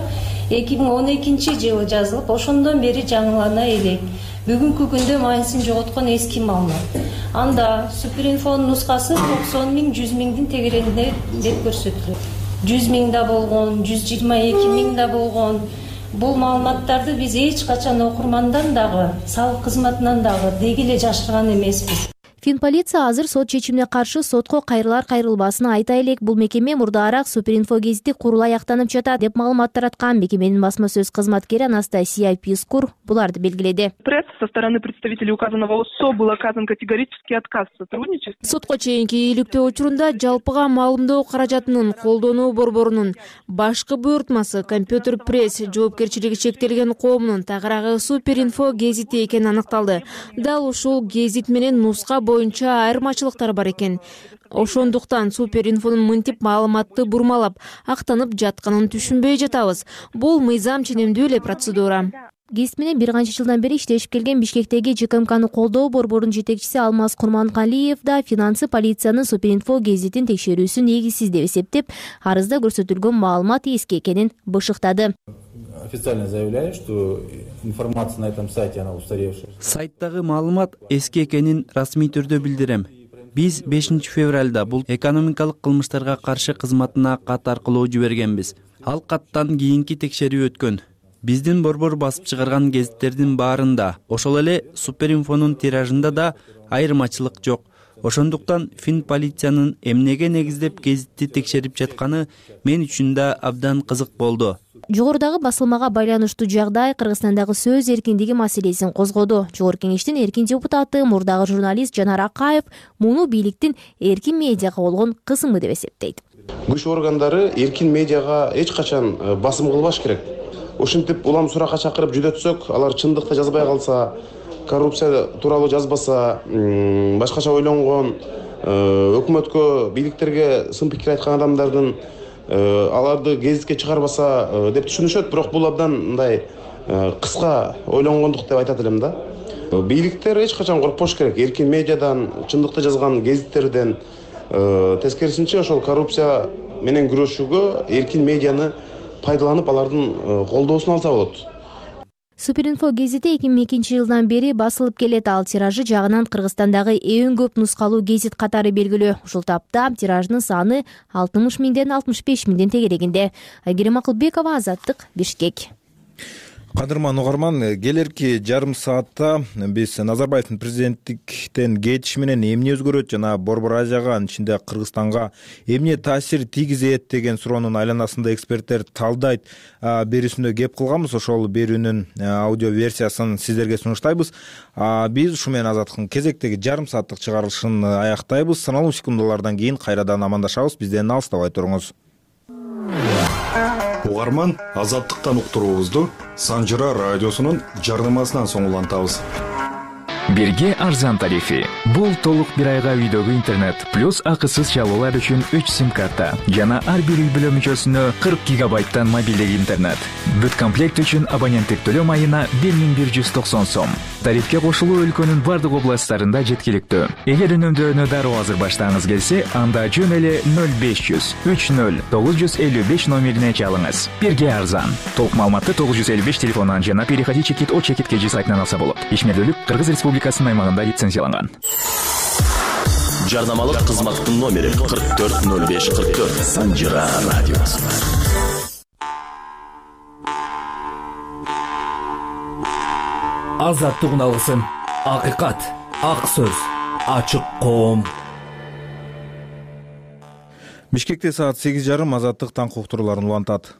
2012 жылы жазылып, ошондон бери жаңылана элек. Бүгүнкү күндө майнысын жоготкон эски маалымат. Анда Суперинфонун нускасы 90 000, 100 000 тегерегинде деп көрсөтүлөт. 100 000 да болгон, 122 000 да болгон. Бул маалыматтарды биз эч качан окурмандан дагы, салык кызматынан дагы деги эле жашырган эмеспиз. Финполиция азыр сот чечимине каршы сотко кайрылар кайрылбасын айта элек. Бул мекеме мурдаараак Суперинфо гезити курулай актанып жатат деп маалымат тараткан. Мекеменин басма сөз кызматкери Анастасия Пискур буларды белгиледи. Пресс со стороны представителей указанного УСО был оказан категорический отказ в сотрудничестве. Сотко чейинки ийгиликтөө учурунда жалпыга маалымдоо каражатынын колдонуу борборунун башкы буйртмасы Компьютер пресс жоопкерчилиги чектелген коомунун тагыраагы Суперинфо гезити экени аныкталды. Дал ушул гезит менен нуска боюнча айырмачылыктар бар экен. Ошондуктан Суперинфонун мынтип маалыматты бурмалап актанып жатканын түшүнбөй жатабыз. Бул мыйзам ченемдүү эле процедура. Гезит менен бир канча жылдан бери иштешип келген Бишкектеги ЖКМКны колдоо борборунун жетекчиси Алмаз Курманкалиев да финансы полициянын Суперинфо гезитин текшерүүсү негизсиз деп эсептеп, арызда көрсөтүлгөн маалымат эски экенин бышыктады. Официально заявляю, что информация на этом сайте она устаревшая. Сайттагы маалымат эски экенин расмий түрдө билдирем. Биз 5 февралда бул экономикалык кылмыштарга каршы кызматына кат аркылуу жибергенбиз. Ал каттан кийинки текшерүү өткөн. Биздин борбор басып чыгарган гезиттердин баарында, ошол эле Суперинфонун тиражында да айырмачылык жок. Ошондуктан Финполициянын эмнеге негиздеп гезитти текшерип жатканы мен үчүн да абдан кызык болду. Жогорудагы басылмага байланыштуу жагдай Кыргызстандагы сөз эркиндиги маселесин козгоду. Жогорку кеңештин эркин депутаты, мурдагы журналист Жанар Акаев муну бийликтин эркин медиага болгон кысымы деп эсептейт. Күч органдары эркин медиага эч качан басым кылбаш керек. Ошентип улам суракка чакырып жүдөтсөк, алар чындыкты жазбай калса, коррупция тууралуу жазбаса, башкача ойлонгон, өкмөткө, бийликтерге сын пикир айткан адамдардын аларды гезитке чыгарбаса деп түшүнүшөт, бирок бул абдан мындай кыска ойлонгондук деп айтат элем да. Бийликтер эч качан коркпош керек. Эркин медиадан, чындыкты жазган гезиттерден, тескерисинче ошол коррупция менен күрөшүүгө эркин медианы пайдаланып алардын колдоосун алса болот. Суперинфо гезити 2002 жылдан бери басылып келет. Ал тиражы жагынан Кыргызстандагы эң көп нускалуу гезит катары белгилүү. Ушул тапта тиражынын саны 60 000ден 65 000 тегерегинде. Айгерим Акылбекова, Азаттык, Бишкек. Кадырман угарман, келерки жарым саатта биз Назарбаевдин президенттиктен кетиши менен эмне өзгөрөт жана Борбор Азияга, анын ичинде Кыргызстанга эмне таасир тийгизет деген суроонун айланасында эксперттер талдайт берүүсүндө кеп кылганбыз. Ошол берүүнүн аудио версиясын сиздерге сунуштайбыз. Биз ушу менен Азаттыктын кезектеги жарым сааттык чыгарылышын аяктайбыз. Саналуу секундалардан кийин кайрадан амандашабыз. Бизден алыстабай туруңуз. Угарман, Азаттыктан уктуруубузду Санжыра радиосунун жарнамасынан соң улантабыз. Бирге арзан тарифи. Бул толук бир айга үйдөгү интернет плюс акысыз чалуулар үчүн 3 сим карта жана ар бир үй бүлө мүчөсүнө 40 гигабайттан мобилдик интернет. Бүт комплект үчүн абоненттик төлөм айына 1190 сом. Тарифке кошулуу өлкөнүн бардык областтарында жеткиликтүү. Эгер үнөмдөөнү дароо азыр баштагыңыз келсе, анда жөн эле 0500 30 955 номерине чалыңыз. Бирге арзан. Толук маалыматты 955 телефонунан жана переходи чекит о чекит kg сайтынан алса болот. Ишмердүүлүк Кыргыз Республикасынын аймагында лицензияланган. Жарнамалык кызматтын номери 440544 Санжира радиосу. Азаттык алгысым, акыйкат, ак сөз, ачык коом. Бишкекте саат 8:30 Азаттык таң уктурууларын улантат.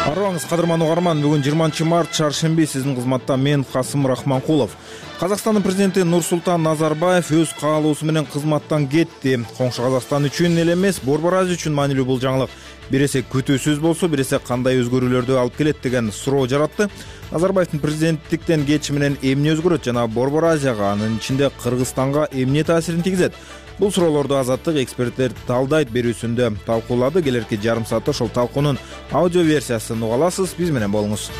Арыбаңыз кадырман угарман, бүгүн 20 март чаршемби, сиздин кызматта мен Касым Рахманкулов. Казакстандын президенти Нурсултан Назарбаев өз каалоосу менен кызматтан кетти. Коңшу Казакстан үчүн эле эмес, Борбор Азия үчүн маанилүү бул жаңылык бир эсе күтүүсүз болсо, бир эсе кандай өзгөрүүлөрдү алып келет деген суроо жаратты. Назарбаевдин президенттиктен кетиши менен эмне өзгөрөт жана Борбор Азияга, анын ичинде Кыргызстанга эмне таасирин тийгизет? Бул суроолорду Азаттык эксперттер талдайт берүүсүндө талкуулады. Келерки жарым саатта ошол талкуунун аудио версиясын уга аласыз. Биз менен болуңуз.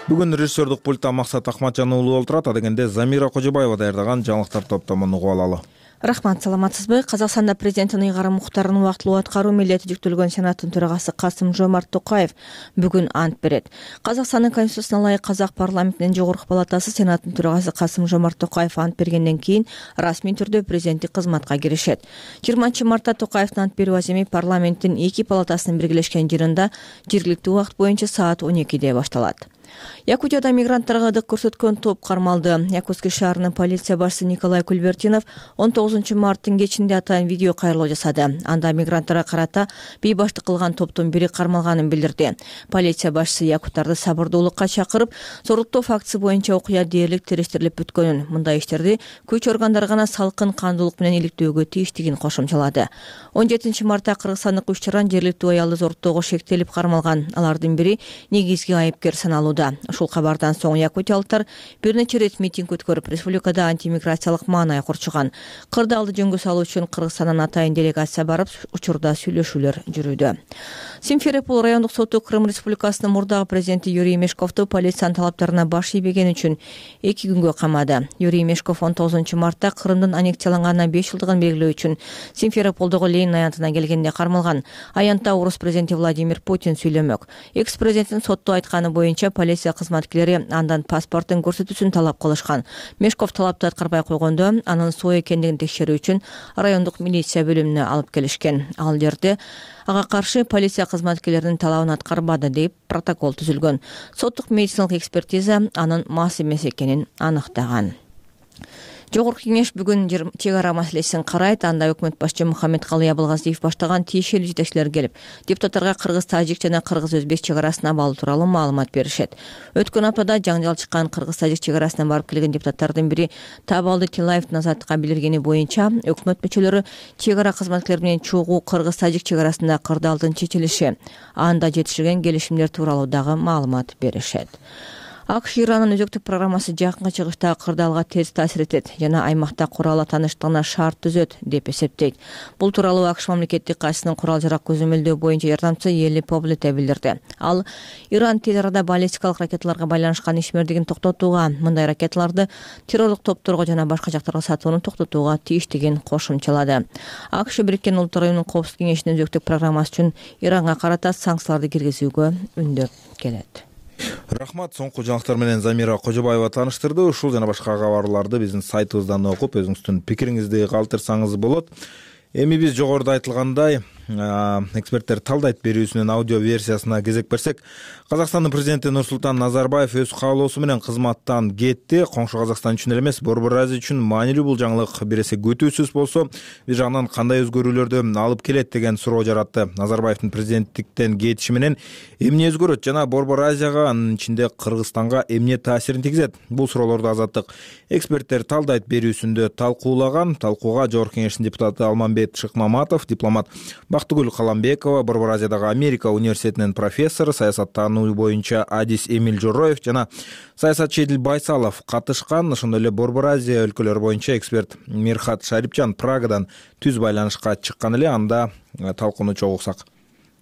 Бүгүн режиссердук пультта Максат Акматжан уулу олтурат. Адегенде Замира Кожобаева даярдаган жаңылыктар топтомун угуп алалы. Рахмат, саламатсызбы? Казакстанда президенттин ыйгарым муктарын убактылуу аткаруу милдети жүктөлгөн Сенаттын төрагасы Касым-Жомарт Токаев бүгүн ант берет. Казакстандын конституциясына ылайык Казак парламентинин жогорку палатасы Сенаттын төрагасы Касым-Жомарт Токаев ант бергенден кийин расмий түрдө президенттик кызматка киришет. 20 мартта Токаевдин ант берүү аземи парламенттин эки палатасынын биргелешкен жыйынында жергиликтүү убакыт боюнча саат 12-де башталат. Якутияда мигранттарга ырдык көрсөткөн топ кармалды. Якутский шаарынын полиция башчысы Николай Кульбертинов 19 марттын кечинде атайын видео кайрылуу жасады. Анда мигранттарга карата бейбаштык кылган топтун бири кармалганын билдирди. Полиция башчысы якуттарды сабырдуулукка чакырып, зорлуктоо фактысы боюнча окуя дээрлик териштирилип бүткөнүн, мындай иштерди күч органдары гана салкын кандуулук менен иликтөөгө тийиштигин кошумчалады. 17 мартта кыргызстандык 3 жаран жергиликтүү аялды зорлуктоого шектелип кармалган. Алардын бири негизги айыпкер саналууда. Ушул кабардан соң якутиялыктар бир нече рет митинг өткөрүп, республикада антимиграциялык маанай курчуган. Кырдаалды жөнгө салуу үчүн Кыргызстандан атайын делегация барып, учурда сүйлөшүүлөр жүрүүдө. Симферополь райондук соту Крым Республикасынын мурдагы президенти Юрий Мешковду полициянын талаптарына баш ийбегени үчүн 2 күнгө камады. Юрий Мешков 19 мартта Крымдын аннексияланганына 5 жылдыгын белгилөө үчүн Симферополдогу Ленин аянтына келгенде кармалган. Аянтта орус президенти Владимир Путин сүйлөмөк. Экс-президенттин сотто айтканы боюнча полиция кызматкерлери андан паспорттун көрсөтүүсүн талап кылышкан. Мешков талапты аткарбай койгондо анын соо экендигин текшерүү үчүн райондук милиция бөлүмүнө алып келишкен. Ал жерде ага каршы полиция кызматкерлеринин талабын аткарбады деп протокол түзүлгөн. Соттук медициналык экспертиза анын мас эмес экенин аныктаган. Жогорку кеңеш бүгүн чек ара маселесин карайт. Анда өкмөт башчы Мухаммедкалый Абылгазиев баштаган тиешелүү жетекчилер келип, депутаттарга кыргыз-тажик жана кыргыз-өзбек чек арасын абалы тууралуу маалымат беришет. Өткөн аптада жаңжал чыккан кыргыз-тажик чек арасына барып келген депутаттардын бири Табалды Тилаевдин азаттыкка билдиргени боюнча өкмөт мүчөлөрү чек ара кызматкерлери менен чогуу кыргыз-тажик чек арасында кырдаалдын чечилиши, анда жетишилген келишимдер тууралуу дагы маалымат беришет. АКШ Иранын өзөктүк программасы жакынкы чыгышта кырдаалга терс таасир этет жана аймакта куралла тааныштыгына шарт түзөт деп эсептейт. Бул тууралуу АКШ мамлекеттик катчысынын курал-жарак көзөмөлдөө боюнча жардамчысы Ели Поблете билдирди. Ал Иран тез арада баллистикалык ракеталарга байланышкан ишмердигин токтотууга, мындай ракеталарды террорлук топторго жана башка жактарга сатууну токтотууга тийиштигин кошумчалады. АКШ Бириккен Улуттар Уюмунун Коопсуздук кеңешинин өзөктүк программасы үчүн Иранга карата санкцияларды киргизүүгө үндөп келет. Рахмат, соңку жаңылыктар менен Замира Кожобаева тааныштырды. Ушул жана башка кабарларды биздин сайтыбыздан окуп, өзүңүздүн пикириңизди калтырсаңыз болот. Эми биз жогоруда айтылгандай эксперттер талдайт берүүсүнүн аудио версиясына кезек берсек, Казакстандын президенти Нурсултан Назарбаев өз каалоосу менен кызматтан кетти. Коңшу Казакстан үчүн эле эмес, Борбор Азия үчүн маанилүү бул жаңылык бир эсе күтүүсүз болсо, бир жагынан кандай өзгөрүүлөрдү алып келет деген суроо жаратты. Назарбаевдин президенттиктен кетиши менен эмне өзгөрөт жана Борбор Азияга, анын ичинде Кыргызстанга эмне таасирин тийгизет? Бул суроолорду Азаттык эксперттер талдайт берүүсүндө талкуулаган. Талкууга Жогорку кеңештин депутаты Алмамбет Шыкмаматов, дипломат Бактыгүл Каламбекова, Борбор Азиядагы Америка университетинин профессору, саясаттануу боюнча Адис Эмиль Жороев жана саясатчы Эдил Байсалов катышкан. Ошондой эле Борбор Азия өлкөлөрү боюнча эксперт Мирхат Шарипжан Прагадан түз байланышка чыккан эле. Анда талкууну чогуу уксак.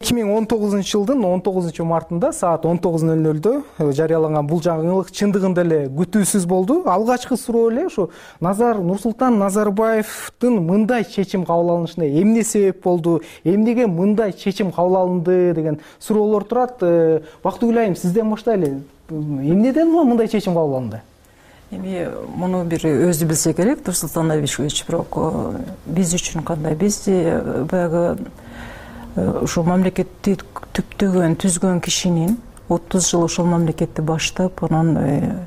2019 жылдын 19 мартында саат 19:00 жарыяланган бул жаңылык чындыгында эле күтүүсүз болду. Алгачкы суроо эле ушу Нурсултан Назарбаевдин мындай чечим кабыл алынышына эмне себеп болду, эмнеге мындай чечим кабыл алынды деген суроолор турат. Бактыгүл айым, сизден баштайлы. Эмнеден мындай чечим кабыл алынды? Эми муну бир өзү билсе керек, Нурсултан Абишевич, бирок биз үчүн кандай? Биз баягы ушул мамлекетти түзгөн кишинин 30 жыл ошол мамлекетти баштап, анан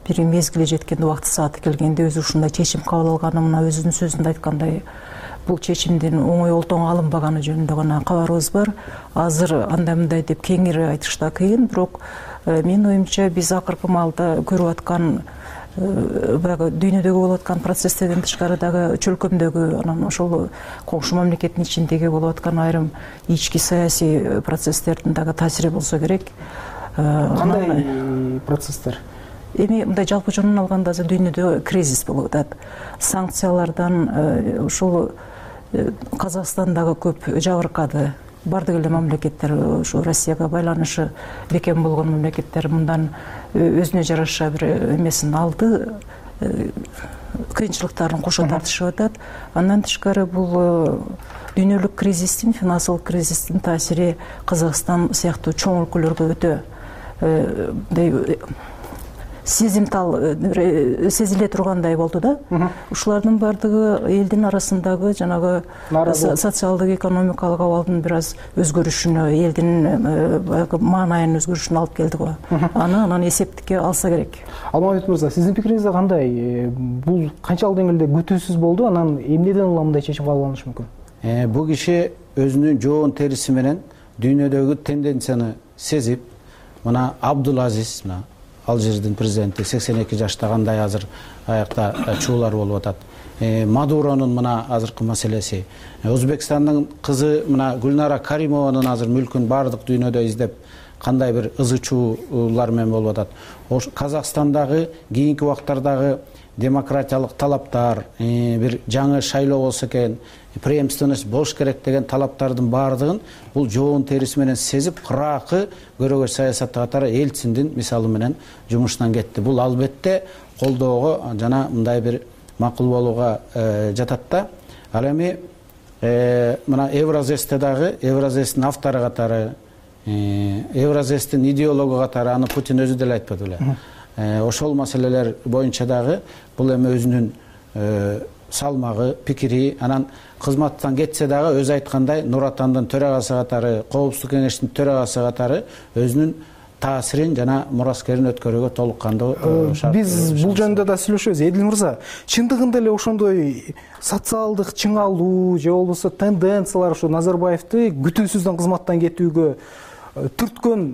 бир мезгили жеткенде, убакыт сааты келгенде өзү ушундай чечим кабыл алганы, мына өзүнүн сөзүндө айткандай, бул чечимдин оңой олтоң алынбаганы жөнүндө гана кабарыбыз бар. Азыр андай-мындай деп кеңири айтыш да кыйын, бирок менин оюмча биз акыркы маалда көрүп аткан баягы дүйнөдөгү болуп аткан процесстерден тышкары дагы чөлкөмдөгү, анан ошол коңшу мамлекеттин ичиндеги болуп аткан айрым ички саясий процесстердин дагы таасири болсо керек. Кандай процесстер? Эми мындай жалпы жонун алганда азыр дүйнөдө кризис болуп атат. Санкциялардан ушул Казакстан дагы көп жабыркады. Бардык эле мамлекеттер, ушу Россияга байланышы бекем болгон мамлекеттер мындан өзүнө жараша бир эмесин алды, кыйынчылыктарын кошо тартышып атат. Андан тышкары бул дүйнөлүк кризистин, финансылык кризистин таасири Казакстан сыяктуу чоң өлкөлөргө өтө сезимтал сезиле тургандай болду да. Ушулардын бардыгы элдин арасындагы жанагы социалдык экономикалык абалдын бир аз өзгөрүшүнө, элдин маанайынын өзгөрүшүнө алып келди го. Анан эсептикке алса керек. Алмамбет мырза, сиздин пикириңизде кандай? Бул канчалык деңгээлде күтүүсүз болду? Анан эмнеден улам мындай чечим кабыл алынышы мүмкүн? Бул киши өзүнүн жоон териси менен дүйнөдөгү тенденцияны сезип, мына Абдулазиз, мына Алжирдин президенти 82 жашта кандай азыр аякта чуулар болуп атат. Мадуронун мына азыркы маселеси, Өзбекстандын кызы мына Гүлнара Каримованын азыр мүлкүн бардык дүйнөдө издеп кандай бир ызы чуулар менен болуп атат. Казакстандагы кийинки убактардагы демократиялык талаптар, бир жаңы шайлоо болсо экен, преемственность болуш керек деген талаптардын баардыгын бул жоон териси менен сезип, кыракы көрөгөч саясатты катары Эльциндин мисалы менен жумушунан кетти. Бул албетте колдоого жана мындай бир макул болууга жатат да. Ал эми мына Евразесте дагы Евразестин автору катары, Евразестин идеологу катары, аны Путин өзү деле айтпады беле. Ошол маселелер боюнча дагы бул эми өзүнүн салмагы, пикири, анан кызматтан кетсе дагы өзү айткандай Нур Отандын төрагасы катары, Коопсуздук кеңештин төрагасы катары өзүнүн таасирин жана мураскерин өткөрүүгө толук кандуу шарт. Биз бул жөнүндө да сүйлөшөбүз. Эдил мырза, чындыгында эле ошондой социалдык чыңалуу же болбосо тенденциялар ушу Назарбаевди күтүүсүздөн кызматтан кетүүгө түрткөн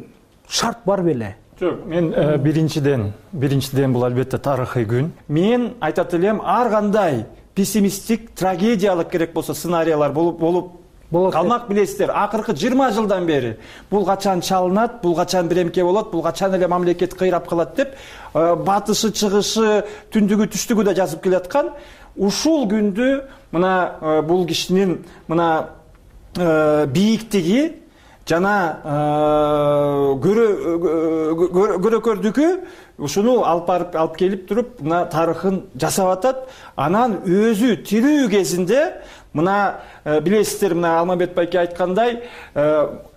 шарт бар беле? Жок, мен биринчиден бул албетте тарыхый күн. Мен айтат элем, ар кандай пессимисттик, трагедиялык керек болсо сценариялар болуп калмак, билесиздер. Акыркы 20 жылдан бери бул качан чалынат, бул качан биремке болот, бул качан эле мамлекет кыйрап калат деп батышы, чыгышы, түндүгү, түштүгү да жазып келаткан. Ушул күндү мына бул кишинин мына бийиктиги жана көрөкөрдүкү ушуну алып келип туруп мына тарыхын жасап атат. Анан өзү тирүү кезинде мына билесиздер, мына Алмамбет байке айткандай,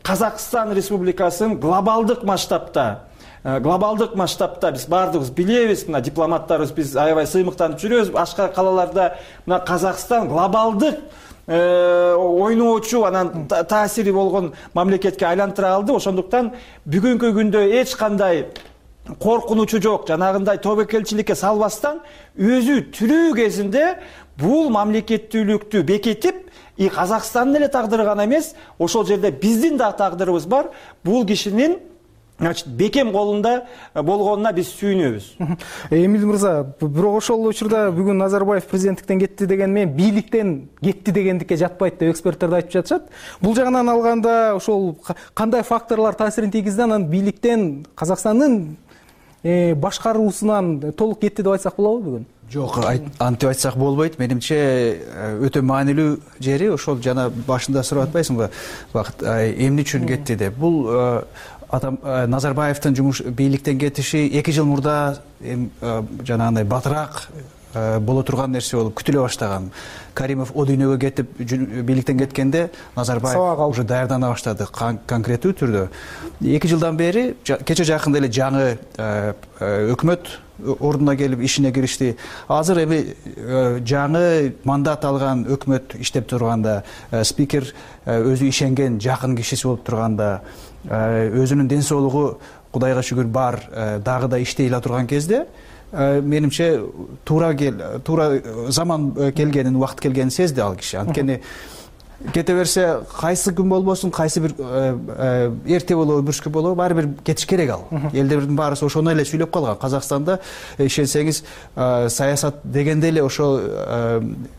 Казакстан Республикасын глобалдык масштабта биз баардыгыбыз билебиз, мына дипломаттарыбыз биз аябай сыймыктанып жүрөбүз. Башка калаларда мына Казакстан глобалдык ойноочу, анан таасири болгон мамлекетке айлантыра алды. Ошондуктан бүгүнкү күндө эч кандай коркунучу жок, жанагындай тобокелчиликке салбастан өзү тирүү кезинде бул мамлекеттүүлүктү бекитип, Казакстандын эле тагдыры гана эмес, ошол жерде биздин да тагдырыбыз бар. Бул кишинин значит бекем колунда болгонуна биз сүйүнөбүз. Эмил мырза, бирок ошол учурда бүгүн Назарбаев президенттиктен кетти деген менен бийликтен кетти дегендикке жатпайт деп эксперттер да айтып жатышат. Бул жагынан алганда ошол кандай факторлор таасирин тийгизди, анан бийликтен Казакстандын башкаруусунан толук кетти деп айтсак болобу бүгүн? Жок, антип айтсак болбойт. Менимче өтө маанилүү жери ошол жана башында сурап атпайсыңбы, Бакыт, эмне үчүн кетти деп. Бул Назарбаевдин бийликтен кетиши 2 жыл мурда жанагындай батыраак боло турган нерсе болуп күтүлө баштаган. Каримов о дүйнөгө кетип бийликтен кеткенде Назарбаев уже даярдана баштады конкреттүү түрдө. 2 жылдан бери кече жакында эле жаңы өкмөт ордуна келип ишине киришти. Азыр эми жаңы мандат алган өкмөт иштеп турганда, спикер өзү ишенген жакын кишиси болуп турганда, өзүнүн ден соолугу Кудайга шүгүр бар, дагы да иштей эле турган кезде менимче туура заман келгенин, убакыт келгенин сезди ал киши. Анткени кете берсе, кайсы күн болбосун, кайсы бир эрте болобу, бүрскү болобу, баары бир кетиш керек ал. Элдердин баарысы ошону эле сүйлөп калган. Казакстанда ишенсеңиз, саясат дегенде эле ошол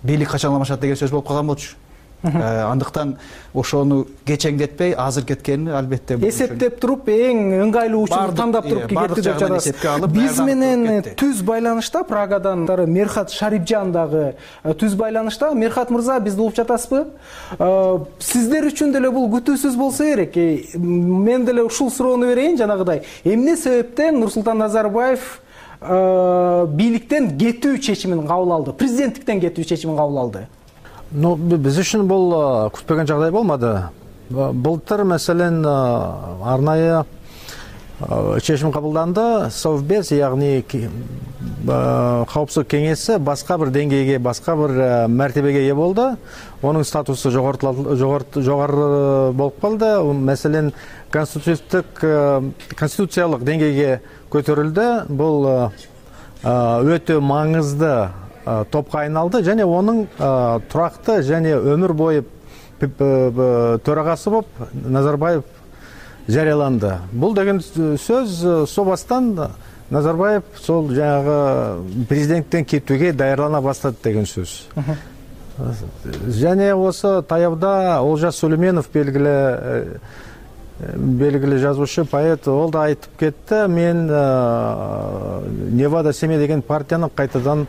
бийлик качан алмашат деген сөз болуп калган болчу. Андыктан ошону кечеңдетпей, азыр кеткени албетте эсептеп туруп, эң ыңгайлуу учурду тандап туруп кетти деп жатасыз. Биз менен түз байланышта Прагадан Мерхат Шарипжан дагы түз байланышта. Мерхат мырза, бизди угуп жатасызбы? Сиздер үчүн деле бул күтүүсүз болсо керек. Мен деле ушул суроону берейин жанагыдай. Эмне себептен Нурсултан Назарбаев бийликтен кетүү чечимин кабыл алды? Президенттиктен кетүү чечимин кабыл алды? Биз үчүн бул күтпөгөн жагдай болмады. Былтыр маселен арнайы чечим кабылданды. Совбез, ягни Коопсуздук кеңеси башка бир деңгейге, башка бир мәртебеге ээ болду. Онун статусу жогору болуп калды. Маселен, конституциялык деңгейге көтөрүлдү. Бул өтө маңызды топко айналды, және оның туракты және өмүр бою төрагасы болуп Назарбаев жарыяланды. Бул деген сөз собастан Назарбаев сол жанагы президенттен кетүүгө даярдана баштады деген сөз. Және осы таябда Олжас Сүлейменов белгилүү жазуучу, поэт, ол да айтып кетти. Мен Невада Семей деген партияны кайтадан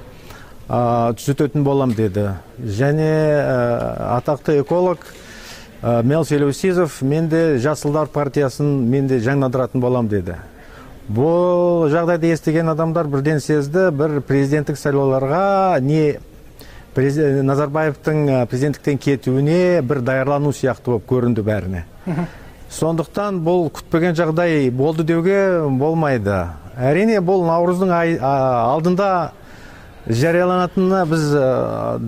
түзөтөтүн болам деди. Және атактуу эколог Мел Селеусизов, мен де Жасылдар партиясын мен де жаңдандыратын болам деди. Бул жагдайды эстеген адамдар бирден сезди, бир президенттик шайлоолорго не Назарбаевдин президенттиктен кетүүнү бир даярлануу сыяктуу болуп көрүндү бээрине. Сондуктан бул күтпөгөн жагдай болду деуге болмайды. Әрине, бул Nauruздун алдында жарыяланатынына биз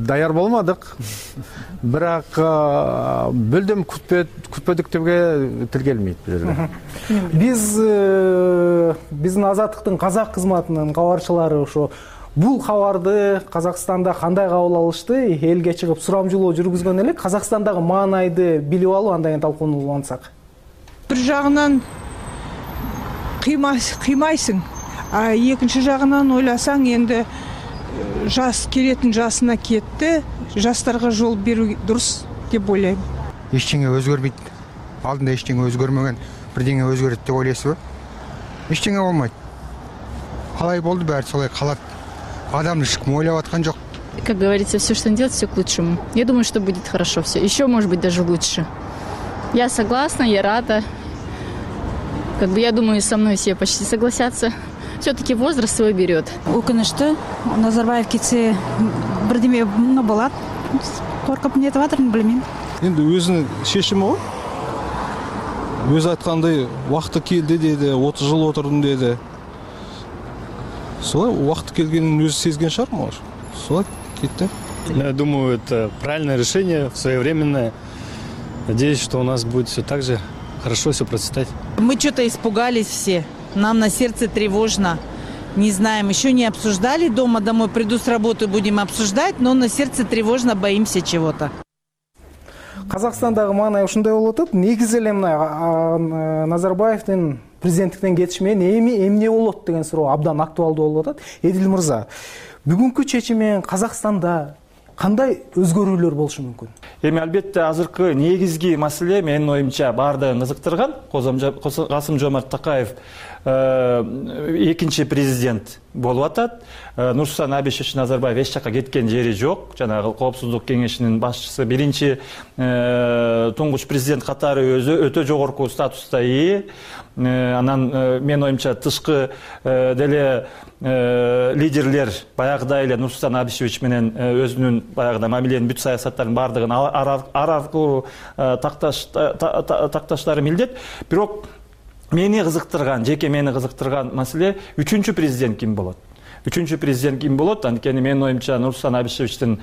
даяр болмадык. Бирок бүлдүм күтпөдүк деуге тил келмейт бул жерде. Биздин Азаттыктын казак кызматынын кабарчылары ошо бул кабарды Казакстанда кандай кабыл алышты, элге чыгып сурамжылоо жүргүзгөн элек. Казакстандагы маанайды билип алуу, андан кийин талкуулансак. Бир жагынан кыймайсың, а экинчи жагынан ойласаң, энди жас келетін жасына кетті, жастарға жол беру дұрыс деп ойлаймын. Ештеңе өзгермейді. Алдында ештеңе өзгермеген, бірдеңе өзгереді деп ойлайсыз ба? Ештеңе болмайды. Қалай болды, бәрі солай қалады. Адамды ешкім ойлап жатқан жоқ. Как говорится, все, что он делает, все к лучшему. Я думаю, что будет хорошо все. Еще, может быть, даже лучше. Я согласна, я рада. Я думаю, со мной все почти согласятся. Все-таки возраст свой берет. Өкінішті, Назарбаев кетсе бірдеме болады. Қорқып нетіп жатырмын, білмеймін. Енді өзінің шешімі ғой. Өзі айтқандай уақыты келді деді, 30 жыл отырдым деді. Солай уақыты келгенін өзі сезген шығар, может. Солай кетті. Я думаю, это правильное решение, своевременное. Надеюсь, что у нас будет все так же хорошо все процветать. Мы что-то испугались все. Нам на сердце тревожно. Не знаем, еще не обсуждали. Дома домой приду с работы, будем обсуждать, но на сердце тревожно, боимся чего-то. Казакстандагы маанай ушундай болуп атат. Негизи эле мына Назарбаевдин президенттиктен кетиш менен эмне болот деген суроо абдан актуалдуу болуп атат. Эдил мырза, бүгүнкү чечим менен Казакстанда кандай өзгөрүүлөр болушу мүмкүн? Эми албетте азыркы негизги маселе менин оюмча баардыгын кызыктырган Касым-Жомарт Такаев экинчи президент болуп атат. Нурсултан Абишевич Назарбаев эч жакка кеткен жери жок. Жанагы Коопсуздук кеңешинин башчысы, биринчи туңгуч президент катары өзү өтө жогорку статуста ээ. Анан менин оюмча тышкы деле лидерлер баягыдай эле Нурсултан Абишевич менен өзүнүн баягыда мамиленин бүт саясаттарын баардыгын ар аркылуу такташтары милдет. Бирок жеке мени кызыктырган маселе үчүнчү президент ким болот? Үчүнчү президент ким болот? Анткени менин оюмча Нурсултан Абишевичтин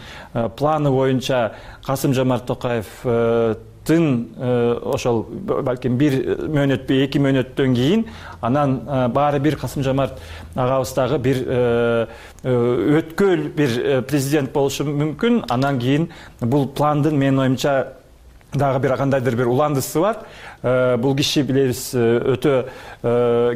планы боюнча Касым-Жомарт Токаев ошол балким 1 мөөнөтпү 2 мөөнөттөн кийин анан баары бир Касым-Жомарт агабыз дагы бир өткөл бир президент болушу мүмкүн. Анан кийин бул пландын менин оюмча дагы бир кандайдыр бир уландысы бар. Бул киши билебиз өтө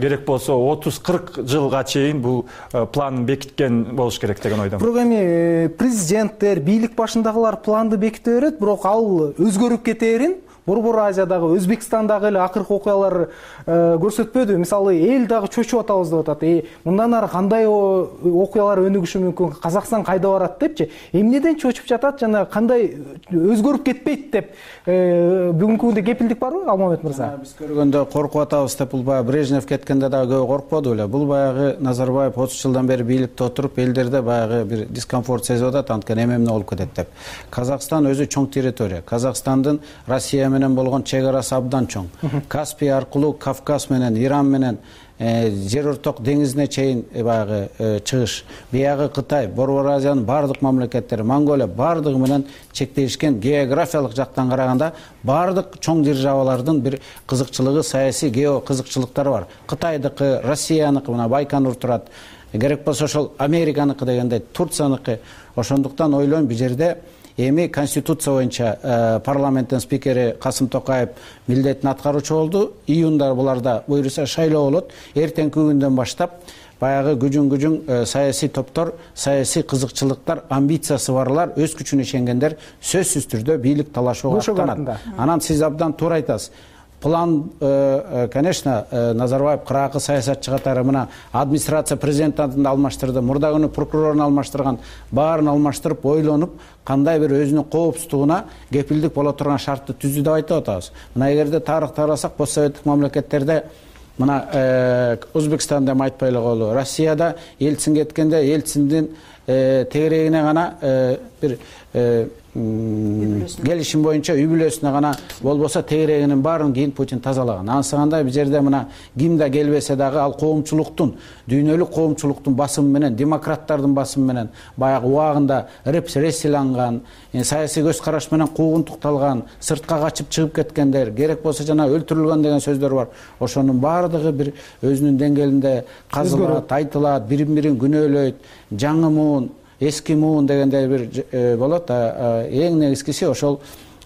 керек болсо 30-40 жылга чейин бул планын бекиткен болуш керек деген ойдомун. Бирок эми президенттер, бийлик башындагылар планды беките берет, бирок ал өзгөрүп кете берин. Борбор Азиядагы, Өзбекстандагы эле акыркы окуялар көрсөтпөдү. Мисалы, эл дагы чочуп атабыз деп атат. Мындан ары кандай окуялар өнүгүшү мүмкүн? Казакстан кайда барат депчи. Эмнеден чочуп жатат жана кандай өзгөрүп кетпейт деп бүгүнкү күндө кепилдик барбы, Алмамет мырза? Биз көргөндө коркуп атабыз деп бул баягы Брежнев кеткенде дагы көп коркподу эле. Бул баягы Назарбаев 30 жылдан бери бийликте отуруп, элдерде баягы бир дискомфорт сезип атат, анткени эмне болуп кетет деп. Казакстан өзү чоң территория. Казакстандын Россия менен болгон чек арасы абдан чоң. Каспий аркылуу Кавказ менен, Иран менен жер орток деңизине чейин баягы чыгыш. Биягы Кытай, Борбор Азиянын бардык мамлекеттери, Монголия бардыгы менен чектешкен. Географиялык жактан караганда бардык чоң державалардын бир кызыкчылыгы, саясий гео кызыкчылыктары бар. Кытайдыкы, Россияныкы, мына Байконур турат. Керек болсо ошол Американыкы дегендей, Турцияныкы. Ошондуктан ойлойм бул жерде эми конституция боюнча парламенттин спикери Касым Токаев милдетин аткаруучу болду. Июнда буларда буюрса шайлоо болот. Эртеңки күндөн баштап баягы күжүң саясий топтор, саясий кызыкчылыктар, амбициясы барлар, өз күчүнө ишенгендер сөзсүз түрдө бийлик талашууга аттанат. Анан сиз абдан туура айтасыз. План, конечно, Назарбаев кыракы саясатчы катары мына администрация президентин алмаштырды, мурда күнү прокурорун алмаштырган, баарын алмаштырып, ойлонуп, кандай бир өзүнүн коопсуздугуна кепилдик боло турган шартты түздү деп айтып атабыз. Мына эгерде тарыхты карасак, постсоветтик мамлекеттерде мына Өзбекстанда деп айтпай эле коелу, Россияда Ельцин кеткенде Ельциндин тегерегине гана бир келишим боюнча үй бүлөсүнө гана болбосо тегерегинин баарын кийин Путин тазалаган. Ансыганда бул жерде мына ким да келбесе дагы ал коомчулуктун, дүйнөлүк коомчулуктун басымы менен, демократтардын басымы менен баягы убагында репрессияланган, саясий көз караш менен куугунтукталган, сыртка качып чыгып кеткендер, керек болсо жана өлтүрүлгөн деген сөздөр бар. Ошонун баардыгы бир өзүнүн деңгээлинде казылат, айтылат, бирин-бирин күнөөлөйт, жаңы муун, эски муун дегендей бир болот. Эң негизгиси ошол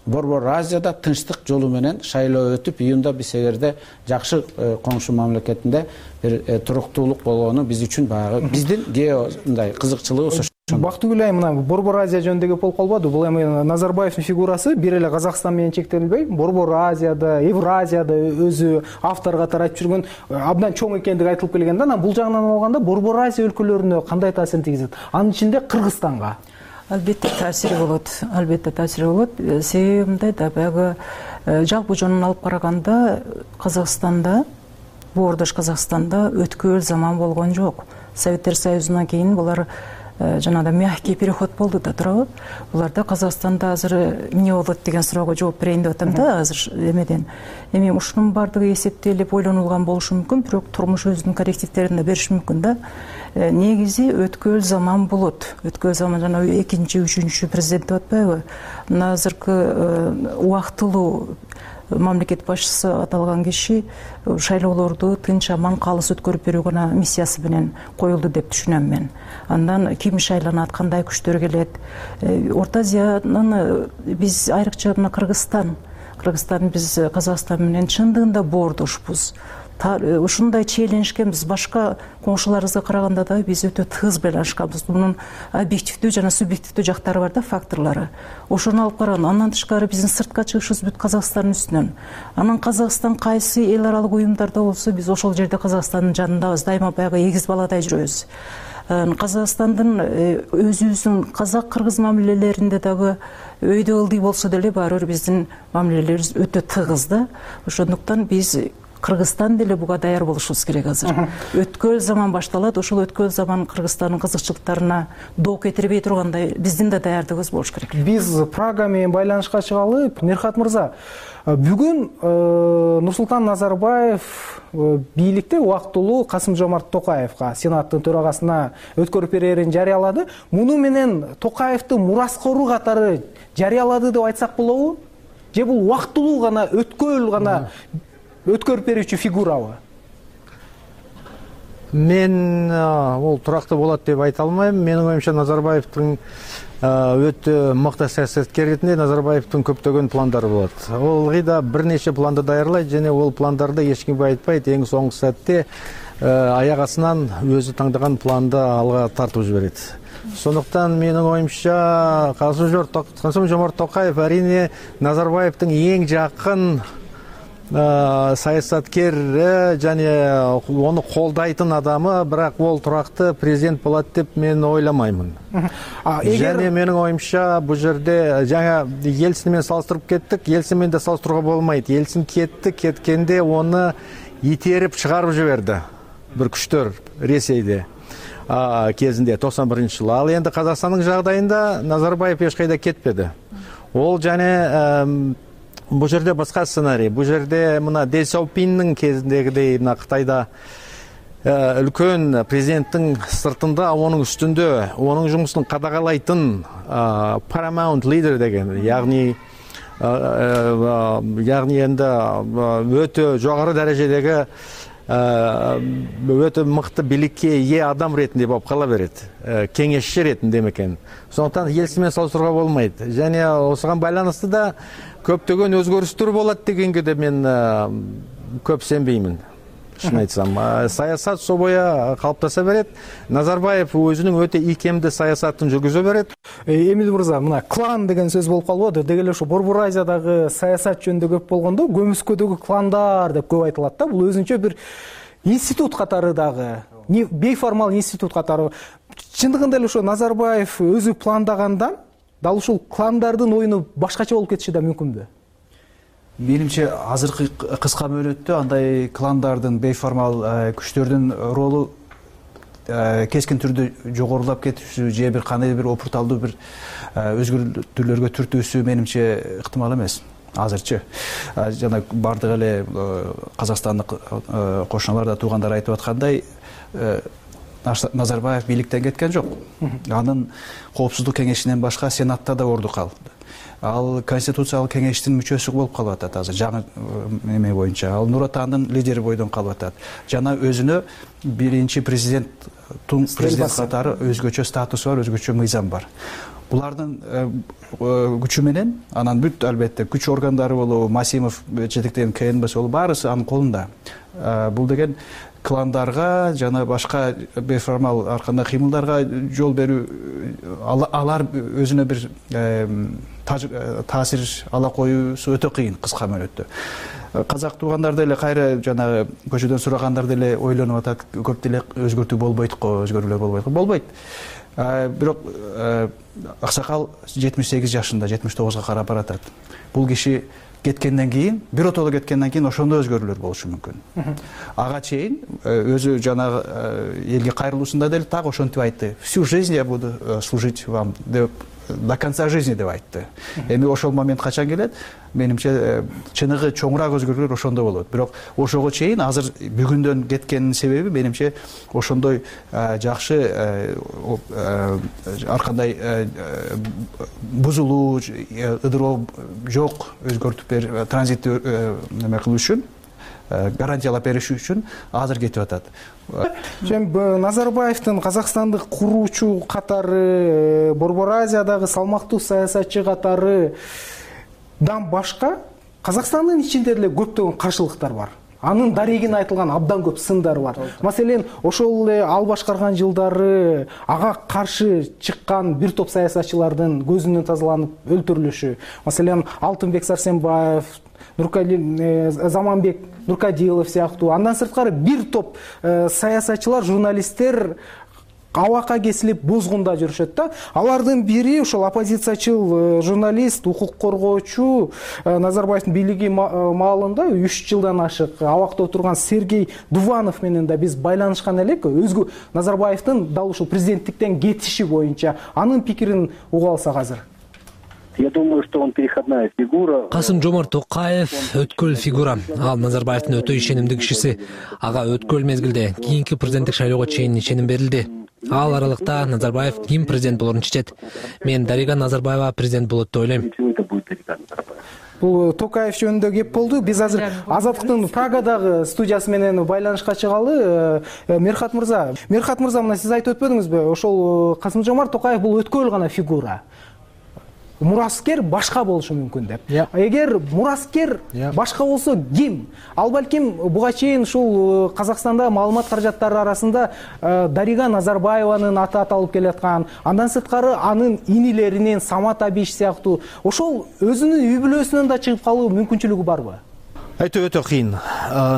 Борбор Азияда тынчтык жолу менен шайлоо өтүп, июнда биз эгерде жакшы коңшу мамлекетинде бир туруктуулук болгону биз үчүн баягы биздин геомындай кызыкчылыгыбыз. Бактыгүл айым, мына Борбор Азия жөнүндө болуп калбады. Бул эми Назарбаевдин фигурасы бир эле Казакстан менен чектелбей, Борбор Азияда, Евразияда өзү автор катары айтып жүргөн абдан чоң экендиги айтылып келген да. Анан бул жагынан алганда Борбор Азия өлкөлөрүнө кандай таасирин тийгизет? Анын ичинде Кыргызстанга. Албетте таасири болот. Себеби мындай да, баягы жалпы жонун алып караганда Казакстанда, боордош Казакстанда өткөл заман болгон жок. Советтер Союзунан кийин булар жанагындай мягкий переход болду да, туурабы? Буларда Казакстанда азыр эмне болот деген суроого жооп берейин деп атам да азыр эмеден. Эми ушунун баардыгы эсептелип, ойлонулган болушу мүмкүн, бирок турмуш өзүнүн коррективдерин да бериши мүмкүн да. Негизи өткөл заман болот. Өткөл заман жана экинчи, үчүнчү президент деп атпайбы? Азыркы убактылуу мамлекет башчысы аталган киши шайлоолорду тынч аман калыс өткөрүп берүү гана миссиясы менен коюлду деп түшүнөм мен. Андан ким шайланат, кандай күчтөр келет? Орто Азиянын биз айрыкча мына Кыргызстан биз Казакстан менен чындыгында боордошпуз. ушундай чийлинишкен биз башка коңшуларыбызга караганда да биз өтө тыгыз байланышканбыз. Мунун объективдүү жана субъективдүү жактары бар да, факторлору. Ошону алып караганда, андан тышкары биздин сыртка чыгышыбыз бүт Казакстандын үстүнөн. Анан Казакстан кайсы эл аралык уюмдарда болсо, биз ошол жерде Казакстандын жанындабыз, дайыма баягы эгиз баладай жүрөбүз. Казакстандын өзүбүздүн казак-кыргыз мамилелеринде дагы өйдө ылдый болсо деле баары бир биздин мамилелерибиз өтө тыгыз да. Ошондуктан биз Кыргызстан деле буга даяр болушубуз керек азыр. Өткөн заман башталат, ошол өткөн заман Кыргызстандын кызыкчылыктарына доо кетирбей тургандай биздин да даярдыгыбыз болуш керек. Биз Прага менен байланышка чыгалы. Мерхат мырза, бүгүн Нурсултан Назарбаев бийликте убактылуу Касым-Жомарт Токаевга, Сенаттын төрагасына өткөрүп берерин жарыялады. Муну менен Токаевдин мураскору катары жарыялады деп айтсак болобу? Же бул убактылуу гана, өткөл гана өткөрүп берүүчү фигурабы? Мен бул турактуу болот деп айта алмайм. Менин оюмча Назарбаевдин өтө мыкты саясаткер ретинде Назарбаевдин көптөгөн пландары болот. Ол да бир нече планды даярлайт және ол пландарды эч кимге айтпайт. Эң соңку сәтте аяк астынан өзү таңдаган планды алга тартып жиберет. Сондуктан менин оюмча Касым-Жомарт Токаев арине Назарбаевдин эң жакын саясаткер және оны колдайтын адамы, бирок ол туракты президент болот деп мен ойламаймын. Және менин оюмча бул жерде жаңа Ельцин менен салыштырып кеттик. Ельцин менен да салыштырууга болмойт. Ельцин кеткенде оны итерип чыгарып жиберди бир күчтөр Ресейде кезинде 91-жылы. Ал энди Казакстандын жагдайында Назарбаев эч кайда кетпеди. Ол және бул жерде башка сценарий. Бул жерде мына Дэн Сяопиндин кезиндегидей мына Кытайда үлкөн президенттин сыртында, анын үстүндө анын жумушун кадагалайтын paramount leader деген, ягни энди өтө жогору дарежедеги өтө мыкты бийликке ээ адам ретинде болуп кала берет, кеңешчи ретинде экен. Сондуктан Ельцин менен салыштырууга болмойт. Және осуга байланыштуу да көптөгөн өзгөрүштөр болот дегенге де мен көп сенбеймин. Шын айтсам, саясат собоя калыптаса берет. Назарбаев өзүнүн өтө ийкемдүү саясатын жүргүзө берет. Эмил мырза, мына клан деген сөз болуп калбады. Деги эле ушу Борбор Азиядагы саясат жөнүндө көп болгондо Көмүскөдөгү кландар деп көп айтылат да. Бул өзүнчө бир институт катары дагы, бейформал институт катары. Чындыгында эле ошо Назарбаев өзү пландагандан дал ушул кландардын оюну башкача болуп кетиши да мүмкүнбү? Менимче азыркы кыска мөөнөттө андай кландардын, бейформал күчтөрдүн ролу кескин түрдө жогорулап кетиши же бир кандай бир опурталдуу бир өзгөртүүлөргө түртүүсү менимче ыктымал эмес азырчы. Жана бардык эле казакстандык кошуналар да туугандар айтып аткандай, Назарбаев бийликтен кеткен жок. Анын коопсуздук кеңешинен башка Сенатта да орду калды. Ал Конституциялык кеңештин мүчөсү болуп калып атат азыр жаңы эме боюнча. Ал Нур Отандын лидери бойдон калып атат. Жана өзүнө биринчи президенттин президент катары өзгөчө статусу бар, өзгөчө мыйзам бар. Булардын күчү менен анан бүт албетте күч органдары болобу, Масимов жетектеген КНБ болобу, баарысы анын колунда. Бул деген кландарга жана башка бейформал арканда кыймылдарга жол берүү, алар өзүнө бир таасир ала коюусу өтө кыйын кыска мөөнөттө. Казак туугандар деле кайра жанагы көчөдөн сурагандар деле ойлонуп атат, көп деле өзгөртүү болбойт го, өзгөрүүлөр болбойт го. Болбойт. Бирок аксакал 78 жашында, 79га карап баратат. Бул киши кеткенден кийин, биротоло кеткенден кийин ошондо өзгөрүүлөр болушу мүмкүн. Ага чейин өзү жанагы элге кайрылуусунда деле так ошентип айтты. Всю жизнь я буду служить вам деп, до конца жизни деп айтты. Эми ошол момент качан келет? Менимче чыныгы чоңураак өзгөрүүлөр ошондо болот. Бирок ошого чейин азыр бүгүндөн кеткенин себеби менимче ошондой жакшы ар кандай бузулуу, ыдыроо жок, өзгөртүп транзит неме кылуу үчүн, гарантиялап бериш үчүн азыр кетип атат. Назарбаевдин Казакстандык куруучу катары, Борбор Азиядагы салмактуу саясатчы катары дан башка Казакстандын ичинде деле көптөгөн каршылыктар бар. анын дарегине айтылган абдан көп сындар бар. Маселен, ошол эле ал башкарган жылдары ага каршы чыккан бир топ саясатчылардын көзүнүн тазаланып өлтүрүлүшү. Маселен, Алтынбек Сарсенбаев, Заманбек Нуркадилов сыяктуу. Андан сырткары бир топ саясатчылар, журналисттер абакка кесилип бозгунда жүрүшөт да. Алардын бири ошол оппозициячыл журналист, укук коргоочу Назарбаевдин бийлиги маалында 3 жылдан ашык абакта отурган Сергей Дуванов менен да биз байланышкан элек. Өзгө Назарбаевдин дал ушул президенттиктен кетиши боюнча анын пикирин уга алсак азыр. Я думаю, что он переходная фигура. Касым-Жомарт Токаев өткөл фигура. Ал Назарбаевдин өтө ишенимдүү кишиси. Ага өткөл мезгилде кийинки президенттик шайлоого чейин ишеним берилди. Ал аралыкта Назарбаев ким президент болорун чечет. Мен Дарига Назарбаева президент болот деп ойлойм. Бул Токаев жөнүндө кеп болду. Биз азыр Азаттыктын Прагадагы студиясы менен байланышка чыгалы. Мерхат мырза, мына сиз айтып өтпөдүңүзбү? Ошол Касым-Жомарт Токаев бул өткөл гана фигура. Мураскер башка болушу мүмкүн деп. Эгер мураскер башка болсо ким? Ал балким буга чейин ушул Казакстанда маалымат каражаттары арасында Дарига Назарбаеванын аты аталып келаткан, андан сырткары анын инилеринин Самат Абиш сыяктуу ошол өзүнүн үй бүлөсүнөн да чыгып калуу мүмкүнчүлүгү барбы? Айтуу өтө кыйын.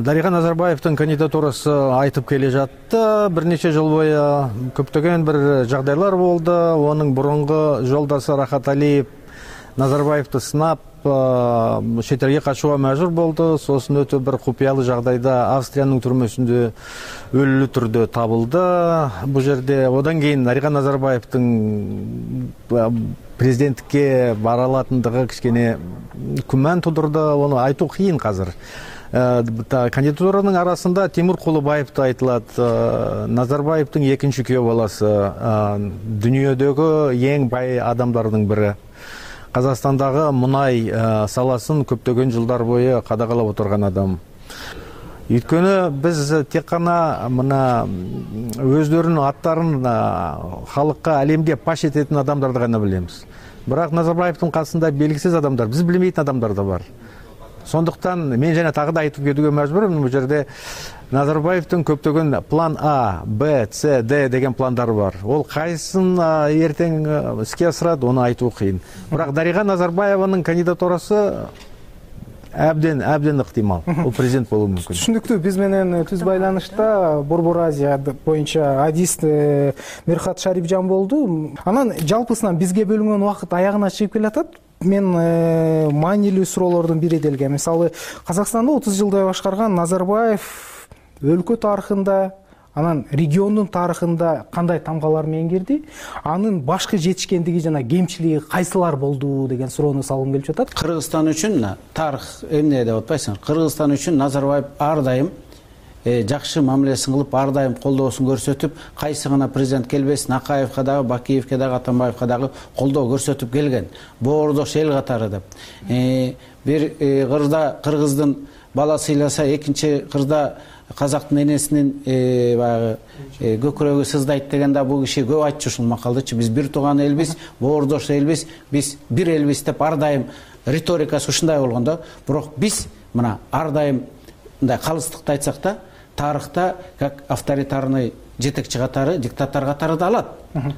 Дарига Назарбаевдин кандидатурасы айтып келе жатты. Бир нече жыл бою көптөгөн бир жагдайлар болду. Онун мурунку жолдошу Рахат Алиев Назарбаевди сынап, чет элге качууга мажбур болду. Сосын өтө бир купуялуу жагдайда Австриянын түрмөсүндө өлүлүү түрдө табылды. Бул жерде одан кийин Дарига Назарбаевдин президенттикке бара алатындыгы кичине күмөн тудурду. Ону айтуу кыйын азыр. Кандидатуранын арасында Тимур Кулубаев да айтылат. Назарбаевдин экинчи күйөө баласы, дүйнөдөгү эң бай адамдардын бири. Казакстандагы мунай саласын көптөгөн жылдар бою кадагалап отурган адам. Өйткөнү биз тек гана мына өздөрүнүн аттарын халыкка алемге паш этетін адамдарды гана билебиз. Бирок Назарбаевдин касында белгисиз адамдар, биз билбейтин адамдар да бар. Сондуктан мен жана тагы да айтып кетүүгө мажбурмун. Бул жерде Назарбаевдин көптөгөн план А, Б, С, Д деген пландары бар. Ол кайсын эртең иске асырат, ону айтуу кыйын. Бирок Дарига Назарбаеванын кандидатурасы абден ыктымал. Ол президент болуу мүмкүн. Түшүнүктүү. Биз менен түз байланышта Борбор Азия боюнча адист Мерхат Шарипжан болду. Анан жалпысынан бизге бөлүнгөн убакыт аягына чыгып келатат. Мен маанилүү суроолордун бири делген. Мисалы, Казакстанда 30 жылдай башкарган Назарбаев өлкө тарыхында, анан региондун тарыхында кандай тамгалар менен кирди? Анын башкы жетишкендиги жана кемчилиги кайсылар болду деген суроону салгым келип жатат. Кыргызстан үчүн тарых эмне деп атпайсың? Кыргызстан үчүн Назарбаев ар дайым жакшы мамилесин кылып, ар дайым колдоосун көрсөтүп, кайсы гана президент келбесин, Акаевке дагы, Бакиевке дагы, Атамбаевке дагы колдоо көрсөтүп келген. Боордош эл катары деп. Бир кырда кыргыздын бала сыйласа, экинчи кырда казактын энесинин баягы көкүрөгү сыздайт деген да бул киши көп айтчу ушул макалдычы. Биз бир тууган элбиз, боордош элбиз, биз бир элбиз деп ар дайым риторикасы ушундай болгон да. Бирок биз мына ар дайым мындай калыстыкты айтсак да, тарыхта как авторитарный жетекчи катары, диктатор катары да алат.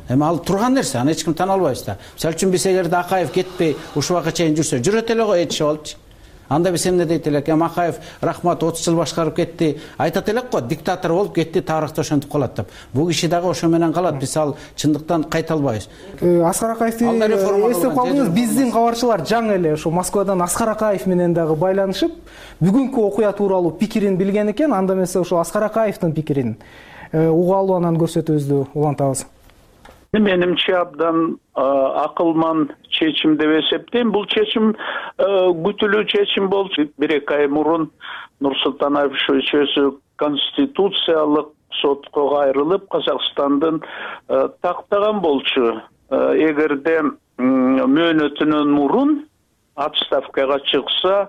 Эми ал турган нерсе, аны эч ким тана албайбыз да. Мисалы үчүн биз эгерде Акаев кетпей ушул убакка чейин жүрсө, жүрөт эле го этишип алчы. Анда биз эмне дейт элек? Акаев рахмат 30 жыл башкарып кетти. Айтат элек го, диктатор болуп кетти, тарыхта ошентип калат деп. Бул киши дагы ошо менен калат. Биз ал чындыктан кайта албайбыз. Аскар Акаевди эстеп калдыңыз. Биздин кабарчылар жаңы эле ошо Москвадан Аскар Акаев менен дагы байланышып, бүгүнкү окуя тууралуу пикирин билген экен. Анда эмесе ошо Аскар Акаевдин пикирин угаалуу анан көрсөтүүбүздү улантабыз. Менимче абдан акылман чечим деп эсептейм. Бул чечим күтүлүү чечим болчу. 1-2 ай мурун Нурсултан Абишевич өзү конституциялык сотко кайрылып, Казакстандын тактаган болчу. Эгерде мөөнөтүнөн мурун отставкага чыкса,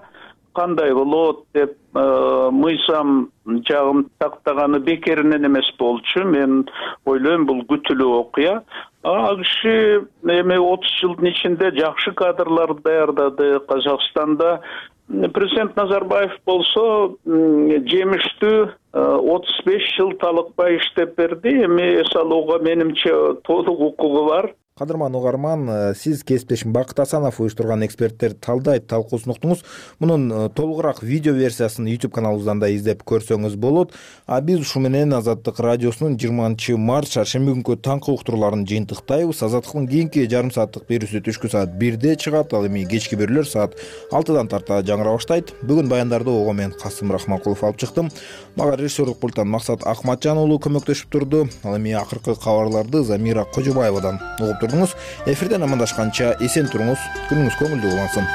кандай болот деп мыйзам жагым тактаганы бекеринен эмес болчу. Мен ойлойм, бул күтүлүү окуя. Ал киши эми 30 жылдын ичинде жакшы кадрларды даярдады. Казакстанда президент Назарбаев болсо жемиштүү 35 жыл талыкпай иштеп берди. Эми эс алууга менимче толук укугу бар. Кадырман угарман, сиз кесиптешим Бакыт Асанов уюштурган эксперттерди талдайт талкуусун уктуңуз. Мунун толугураак видео версиясын YouTube каналыбыздан да издеп көрсөңүз болот. А биз ушу менен Азаттык радиосунун 20-март шаршемби күнкү таңкы уктурууларын жыйынтыктайбыз. Азаттыктын кийинки жарым сааттык берүүсү түшкү саат 1-де чыгат, ал эми кечки берүүлөр саат 6-дан тарта жаңыра баштайт. Бүгүн баяндарды ого мен Касым Рахманкулов алып чыктым. Мага режиссерлук пульттан Максат Акматжан уулу көмөктөшүп турду. Ал эми акыркы кабарларды Замира Кожобаевадан угуп турдуңуз. Эфирден амандашканча эсен туруңуз, күнүңүз көңүлдүү улансын.